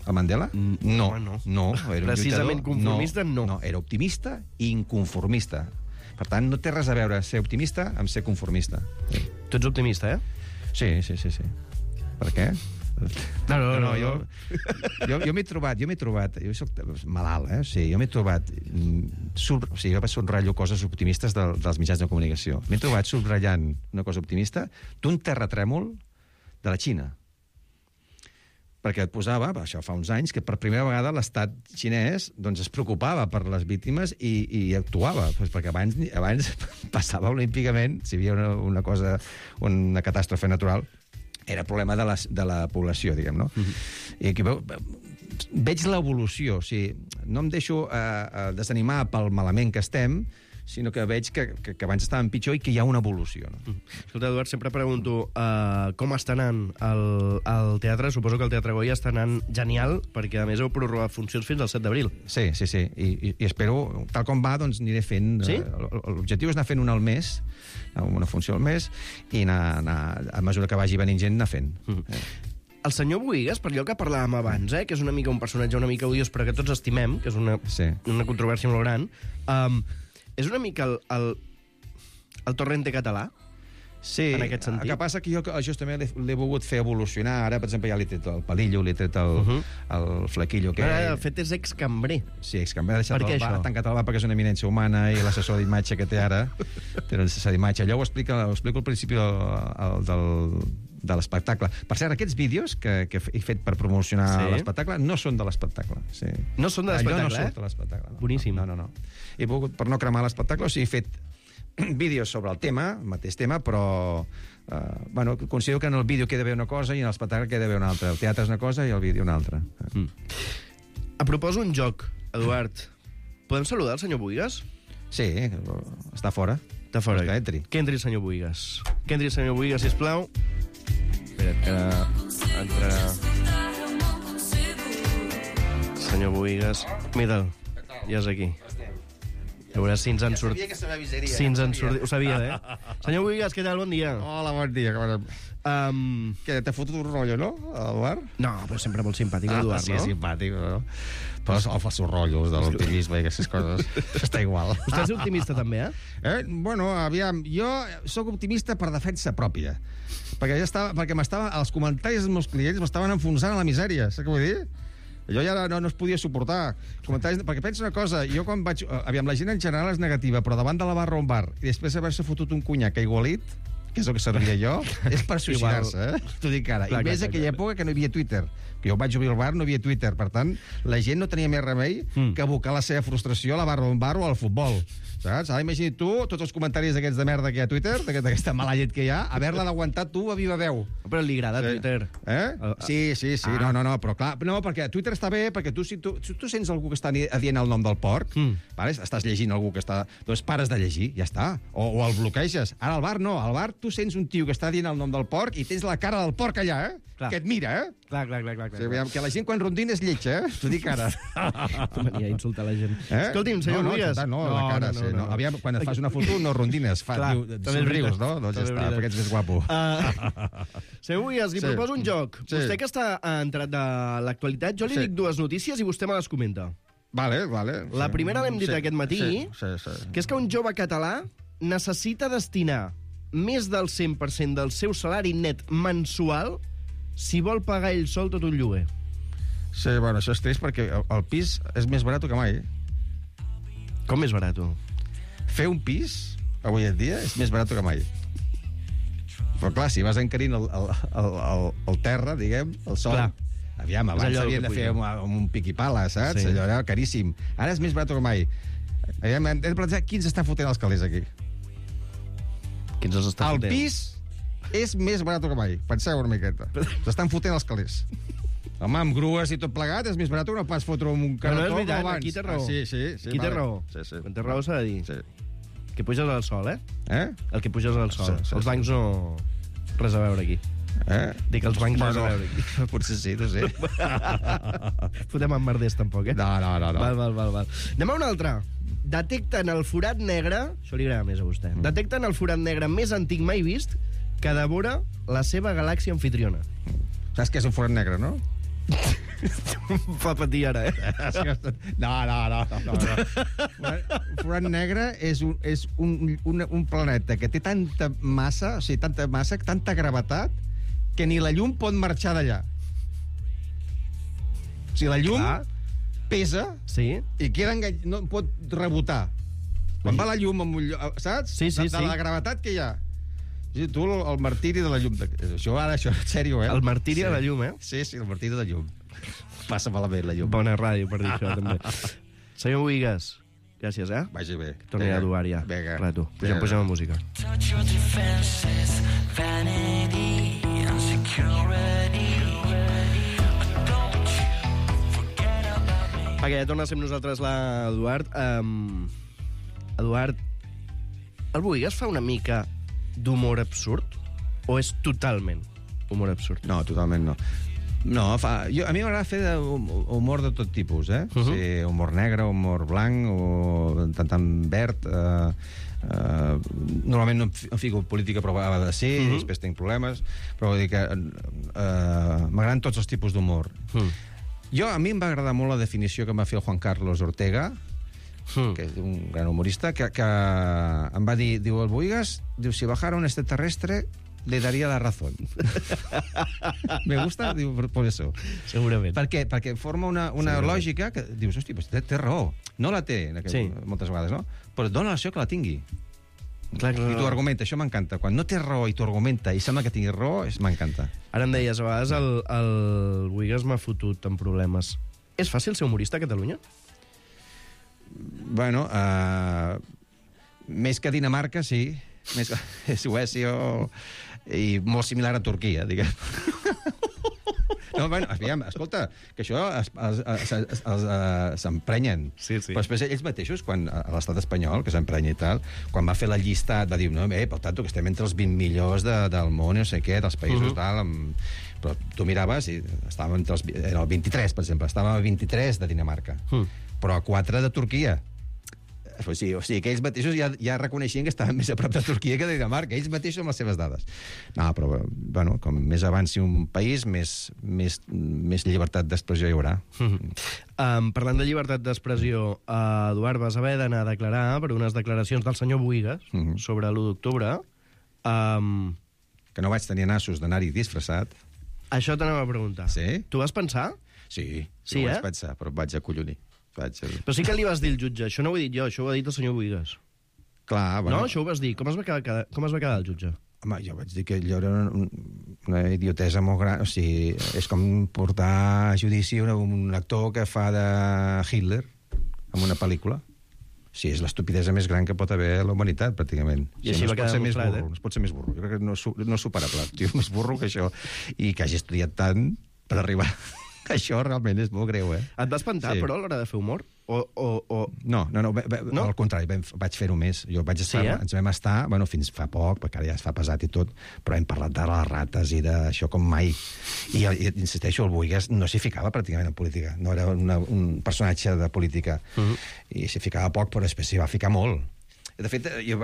El Mandela? No, no. no era precisament conformista, no. no. No, era optimista i inconformista. Per tant, no té res a veure ser optimista amb ser conformista. Sí. Tu ets optimista, eh? Sí, sí, sí, sí. Per què? No, no, no, no, jo, jo, jo m'he trobat, jo m'he trobat, jo soc malalt, eh? O sigui, jo m'he trobat, sub, o sigui, jo subratllo coses optimistes de, dels mitjans de comunicació. M'he trobat subratllant una cosa optimista d'un terratrèmol de la Xina. Perquè et posava, això fa uns anys, que per primera vegada l'estat xinès doncs, es preocupava per les víctimes i, i actuava, doncs, perquè abans, abans passava olímpicament, si hi havia una, una cosa, una catàstrofe natural, era problema de la, de la població, diguem, no? Mm-hmm. I aquí veu, veig l'evolució, o sigui, no em deixo eh, desanimar pel malament que estem, sinó que veig que, que, que abans estàvem pitjor i que hi ha una evolució. No? Mm. Escolta, Eduard, sempre pregunto uh, com està anant el, el teatre. Suposo que el Teatre Goya està anant genial, perquè a més heu prorrogat funcions fins al set d'abril. Sí, sí, sí. I, i, i espero, tal com va, doncs aniré fent... Sí? L'objectiu és anar fent una al mes, una funció al mes, i anar, anar, a mesura que vagi venint gent, anar fent. Mm. Eh. El senyor Bohigas, per allò que parlàvem abans, eh, que és una mica un personatge una mica odiós, però que tots estimem, que és una, sí. una controvèrsia molt gran... Um, és una mica el, el, el Torrente català? Sí, en aquest sentit. El que passa que jo justament l'he volgut fer evolucionar. Ara, per exemple, ja l'he tret el palillo, l'he tret el, uh -huh. el flequillo. Que... Ara, el fet és excambrer. Sí, excambrer. Ha deixat per el bar, tancat el bar perquè és una eminència humana i l'assessor d'imatge que té ara té l'assessor d'imatge. Allò ho, explica, ho explico al principi el, el, del, de l'espectacle. Per cert, aquests vídeos que, que he fet per promocionar sí. l'espectacle no són de l'espectacle. Sí. No són de l'espectacle, Allò no eh? surt de l'espectacle. No. Boníssim. No, no, no. He volgut, per no cremar l'espectacle, o sigui, he fet vídeos sobre el tema, el mateix tema, però uh, bueno, considero que en el vídeo queda bé una cosa i en l'espectacle queda bé una altra. El teatre és una cosa i el vídeo una altra. Mm. A proposo un joc, Eduard. Podem saludar el senyor Bohigas? Sí, està fora. Està fora. Que entri. Que entri el senyor Bohigas. Que entri el senyor Bohigas, sisplau. Espera't, que entrarà... Senyor Bohigas. Mira'l, ja és aquí. A veure si ens han sortit... Si ens han sortit... Ho sabia, eh? Senyor Bohigas, què tal? Bon dia. Hola, bon dia. Um... Què, t'ha fotut un rotllo, no, Eduard? No, però sempre molt simpàtic, Eduard, ah, sí, no? Sí, simpàtic, no? Però el fa seus rotllos de l'optimisme i aquestes coses. Està igual. Vostè és optimista, també, eh? eh? Bueno, aviam, jo sóc optimista per defensa pròpia. Perquè ja estava... Perquè m'estava... Els comentaris dels meus clients m'estaven enfonsant a la misèria, saps què vull dir? Jo ja no, no es podia suportar. Comentaris, perquè pensa una cosa, jo quan vaig... Aviam, la gent en general és negativa, però davant de la barra on bar, i després haver-se fotut un conyac aigualit, que és el que servia jo, és per suïcidar-se, eh? T'ho dic ara. Clar, I més clar, aquella clar. època que no hi havia Twitter. Que jo vaig obrir el bar, no hi havia Twitter. Per tant, la gent no tenia més remei mm. que abocar la seva frustració a la barra on bar o al futbol. Saps? Ara imagina't tu, tots els comentaris aquests de merda que hi ha a Twitter, d'aquesta mala llet que hi ha, haver-la d'aguantar tu a viva veu. Però li agrada sí. Twitter. Eh? Sí, sí, sí. Ah. No, no, no, però clar, no, perquè Twitter està bé, perquè tu, si tu, si tu sents algú que està dient el nom del porc, mm. vale? Estàs llegint algú que està... Doncs pares de llegir, ja està. O, o el bloqueges. Ara al bar no, al bar tu sents un tio que està dient el nom del porc i tens la cara del porc allà, eh? Clar. Que et mira, eh? Clar, clar, clar. clar, clar. O sigui, que la gent quan rondina és lletja, eh? T'ho dic ara. Mania, insultar la gent. Eh? Escolti'm, senyor no, no, Bohigas... No, no, la cara, no, no, sí. No. No. Aviam, quan et fas una foto no rondines, fa, clar, diu, somrius, no? Doncs ja està, perquè ets més guapo. Uh, senyor Bohigas, li sí. proposo un joc. Sí. Vostè que està entrat de l'actualitat, jo li sí. dic dues notícies i vostè me les comenta. Vale, vale. La primera l'hem dit sí. aquest matí, sí, sí, sí. que és que un jove català necessita destinar més del cent per cent del seu salari net mensual si vol pagar ell sol tot un lloguer. Sí, bueno, això és trist perquè el pis és més barat que mai. Com més barat? Fer un pis, avui en dia, és més barat que mai. Però clar, si vas encarint el, el, el, el, el terra, diguem, el sol... Clar. Aviam, abans s'havien de fer amb un pic i pala, saps? Sí. Allò era caríssim. Ara és més barat que mai. Aviam, hem de plantejar qui ens està fotent els calés aquí. Qui ens els està el fotent? El pis és més barat que mai. Penseu una miqueta. S'estan fotent els calés. Home, amb grues i tot plegat és més barat que no pas fotre un carretó no, no és veritat, abans. Aquí té raó. Ah, sí, sí, sí, aquí vale. té raó. Sí, sí. Quan té raó s'ha de dir. Sí. Que puges al sol, eh? Eh? El que puges al sol. Sí, sí, els bancs no... Res a veure aquí. Eh? Dic els bancs bueno, res a veure aquí. Potser sí, no sé. Fotem amb merders, tampoc, eh? No, no, no. no. Val, val, val, val. Anem a una altra. Detecten el forat negre... Això li agrada més a vostè. Mm. Detecten el forat negre més antic mai vist que devora la seva galàxia anfitriona. Saps què és un forat negre, no? Fa patir ara, eh? No, no, no. no, no. Un forat negre és, un, és un, un, un planeta que té tanta massa, o sigui, tanta massa, tanta gravetat, que ni la llum pot marxar d'allà. O sigui, la llum Clar. pesa Sí. i queda engany... no pot rebotar. Quan va la llum, amb un lloc, saps? Sí, sí, de, de sí. la gravetat que hi ha. Sí, tu, el, el martiri de la llum. De... Això ara, això, en sèrio, eh? El martiri sí. de la llum, eh? Sí, sí, el martiri de la llum. Passa malament, la llum. Bona ràdio per dir això, també. Senyor Bohigas, gràcies, eh? Vagi bé. Torni a Duar, ja. Vinga. Rato. Pugem, pugem a música. Touch your defenses, vanity, insecurity. Perquè ja torna a ser amb nosaltres l'Eduard. Um, Eduard, el Bohigas fa una mica d'humor absurd? O és totalment humor absurd? No, totalment no. No, fa... jo, a mi m'agrada fer de humor de tot tipus, eh? Uh -huh. Sí, humor negre, humor blanc, o tant tant verd... Eh, eh, normalment no em fico política, però ha de ser, uh -huh. després tinc problemes, però vull dir que eh, m'agraden tots els tipus d'humor. Uh -huh. Jo, a mi em va agradar molt la definició que em va fer el Juan Carlos Ortega, mm. que és un gran humorista, que, que em va dir, diu, el Bohigas, diu, si bajara un extraterrestre, le daría la razón. Me gusta, diu, por, por eso. Segurament. Per què? Perquè forma una, una lògica que dius, hosti, pues té, té raó. No la té, aquell, sí. moltes vegades, no? Però dona l'acció que la tingui. Clar, clar, I t'ho argumenta, això m'encanta. Quan no té raó i t'ho argumenta i sembla que tingui raó, m'encanta. Ara em deies, a vegades el, el Bohigas m'ha fotut en problemes. És fàcil ser humorista a Catalunya? Bueno, uh, més que Dinamarca, sí. Més que Suècia o... i molt similar a Turquia, diguem. No, bueno, aviam, escolta, que això s'emprenyen. Sí, sí. Però després ells mateixos, quan a l'estat espanyol, que s'emprenya i tal, quan va fer la llistat, va dir, no, eh, per tant, que estem entre els vint millors de, del món, no sé què, dels països, uh -huh. tal, amb... però tu miraves i estàvem entre els... Era el vint-i-tres, per exemple, estàvem a vint-i-tres de Dinamarca, uh -huh. però a quatre de Turquia. O sigui, o sigui que ells mateixos ja, ja reconeixien que estaven més a prop de Turquia que de Dinamarca, ells mateixos amb les seves dades. No, però, bueno, com més avanci un país, més, més, més llibertat d'expressió hi haurà. Mm-hmm. Um, parlant de llibertat d'expressió, uh, Eduard, vas haver d'anar a declarar per unes declaracions del senyor Bohigas mm-hmm. sobre l'u d'octubre. Um... Que no vaig tenir nassos d'anar-hi disfressat. Això t'anava a preguntar. Sí? Tu vas pensar? Sí, sí ho eh? vaig pensar, però vaig acollonir. Vaig... Però sí que li vas dir al jutge, això no ho he dit jo, això ho ha dit el senyor Bohigas. Clar, bueno... No, això ho vas dir. Com es va quedar, com es va quedar el jutge? Home, jo vaig dir que allò era una, una idiotesa molt gran. O sigui, és com portar a judici un, un actor que fa de Hitler en una pel·lícula. Sí, és l'estupidesa més gran que pot haver a la humanitat, pràcticament. I així no va quedar ser molt més clar, burro, eh? No es pot ser més burro. Jo crec que no, no és superable. Tio, més burro que això. I que hagi estudiat tant per arribar... Això realment és molt greu, eh? Et va espantar, sí. però, a l'hora de fer humor? O, o, o... No, no, no, no, al contrari, vam, vaig fer-ho més. Jo vaig estar, sí, eh? Ens vam estar, bueno, fins fa poc, perquè ara ja es fa pesat i tot, però hem parlat de les rates i d'això com mai. I, i insisteixo, el Bohigas no s'hi ficava pràcticament en política. No era una, un personatge de política. Uh -huh. I s'hi ficava poc, però després s'hi va ficar molt. De fet, jo,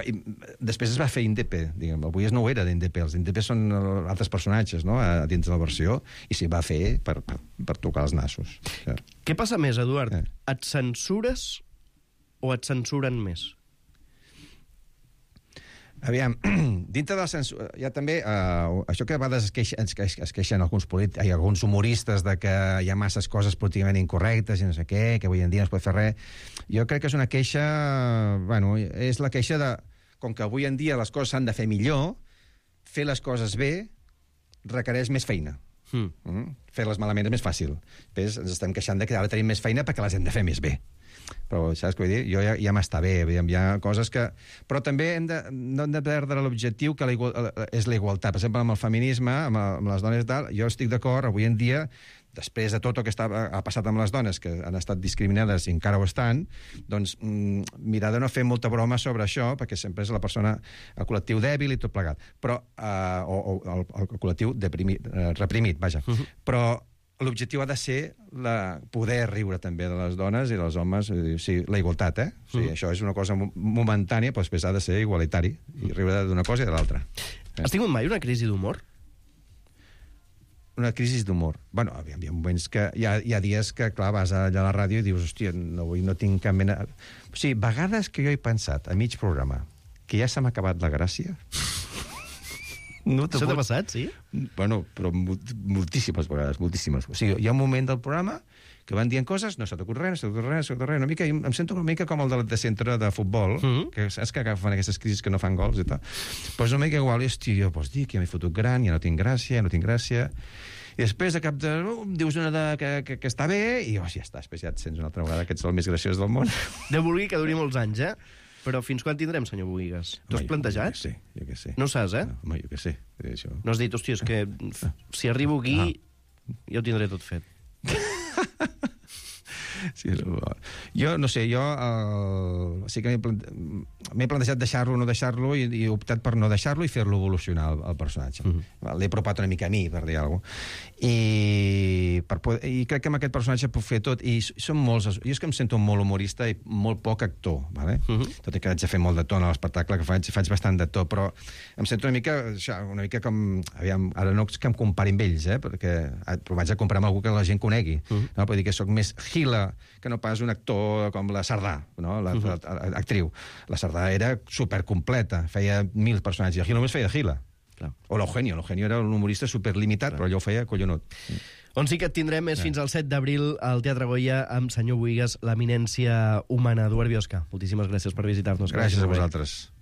després es va fer Indepe, diguem. El Bohigas no ho era d'Indepe, els Indepe són altres personatges, no?, a dins de la versió, i s'hi va fer per, per, per tocar els nassos. Ja. Què passa més, Eduard? Eh. Et censures o et censuren més? Aviam, dintre de la censura, hi ha també uh, això que a vegades es queixen, es queixen alguns, polítics, hi ha alguns humoristes de que hi ha masses coses políticament incorrectes i no sé què, que avui en dia no es pot fer res. Jo crec que és una queixa, bueno, és la queixa de, com que avui en dia les coses s'han de fer millor, fer les coses bé requereix més feina. Mm. Mm? Fer-les malament és més fàcil. Després ens estem queixant de que ara tenim més feina perquè les hem de fer més bé. Però saps què vull dir? Jo ja, ja m'està bé, hi ha coses que... Però també hem de, no hem de perdre l'objectiu que la igual, és la igualtat. Per exemple, amb el feminisme, amb, amb les dones i tal, jo estic d'acord, avui en dia, després de tot el que està, ha passat amb les dones, que han estat discriminades i encara ho estan, doncs mm, mirar de no fer molta broma sobre això, perquè sempre és la persona, el col·lectiu dèbil i tot plegat. Però, eh, o, o el, el col·lectiu deprimit, eh, reprimit, vaja. Uh-huh. Però l'objectiu ha de ser la, poder riure també de les dones i dels homes, o sigui, la igualtat, eh? O sigui, mm. Això és una cosa momentània, però després ha de ser igualitari, i riure d'una cosa i de l'altra. Has tingut mai una crisi d'humor? Una crisi d'humor. Bueno, hi ha moments que... Hi ha, hi ha dies que, clar, vas allà a la ràdio i dius, hòstia, no, avui no tinc cap mena... O sigui, vegades que jo he pensat, a mig programa, que ja se m'ha acabat la gràcia... No Això t'ha passat, sí? Bueno, però moltíssimes vegades, moltíssimes. O sigui, hi ha un moment del programa que van dient coses, no s'ha t'ocut res, no s'ha t'ocut res, no s'ha t'ocut res, una mica, em sento una mica com el de, de centre de futbol, mm -hmm. que saps que agafen aquestes crisis que no fan gols i tal. Pues una mica igual, hòstia, jo pots dir que ja m'he fotut gran, ja no tinc gràcia, ja no tinc gràcia... I després, a cap de... Uh, dius una de, que, que, que està bé, i oh, ja està, després ja et sents una altra vegada que ets el més graciós del món. Déu vulgui que duri molts anys, eh? Però fins quan tindrem, senyor Bohigas? T'ho has plantejat? Jo que sé, jo que sé. No ho saps, eh? No, home, jo que sé. Això... No has dit, hòstia, és que si arribo aquí ah. ja ho tindré tot fet. Sí, jo, no sé, jo uh, sí que m'he plante... plantejat deixar-lo o no deixar-lo i, i he optat per no deixar-lo i fer-lo evolucionar el, el personatge. Mm -hmm. L'he apropat una mica a mi, per dir alguna cosa. I, per poder... I crec que amb aquest personatge puc fer tot. I són molts... Jo és que em sento molt humorista i molt poc actor, ¿vale? Mm -hmm. Tot i que haig de fer molt de to en l'espectacle que faig, faig bastant de to, però em sento una mica, una mica com... Aviam, ara no és que em compari amb ells, eh? Perquè però vaig a comprar amb algú que la gent conegui. Mm -hmm. No? Vull dir que sóc més Gila que no pas un actor com la Sardà, no? La, uh -huh. l'actriu. La Sardà era supercompleta, feia mil personatges, i el Gila només feia de Gila. Clar. O l'Eugenio, l'Eugenio era un humorista superlimitat, clar, però allò ho feia collonut. On sí que et tindrem és fins al set d'abril al Teatre Goya amb senyor Bohigas, l'eminència humana. Eduard Biosca, moltíssimes gràcies per visitar-nos. Gràcies a vosaltres.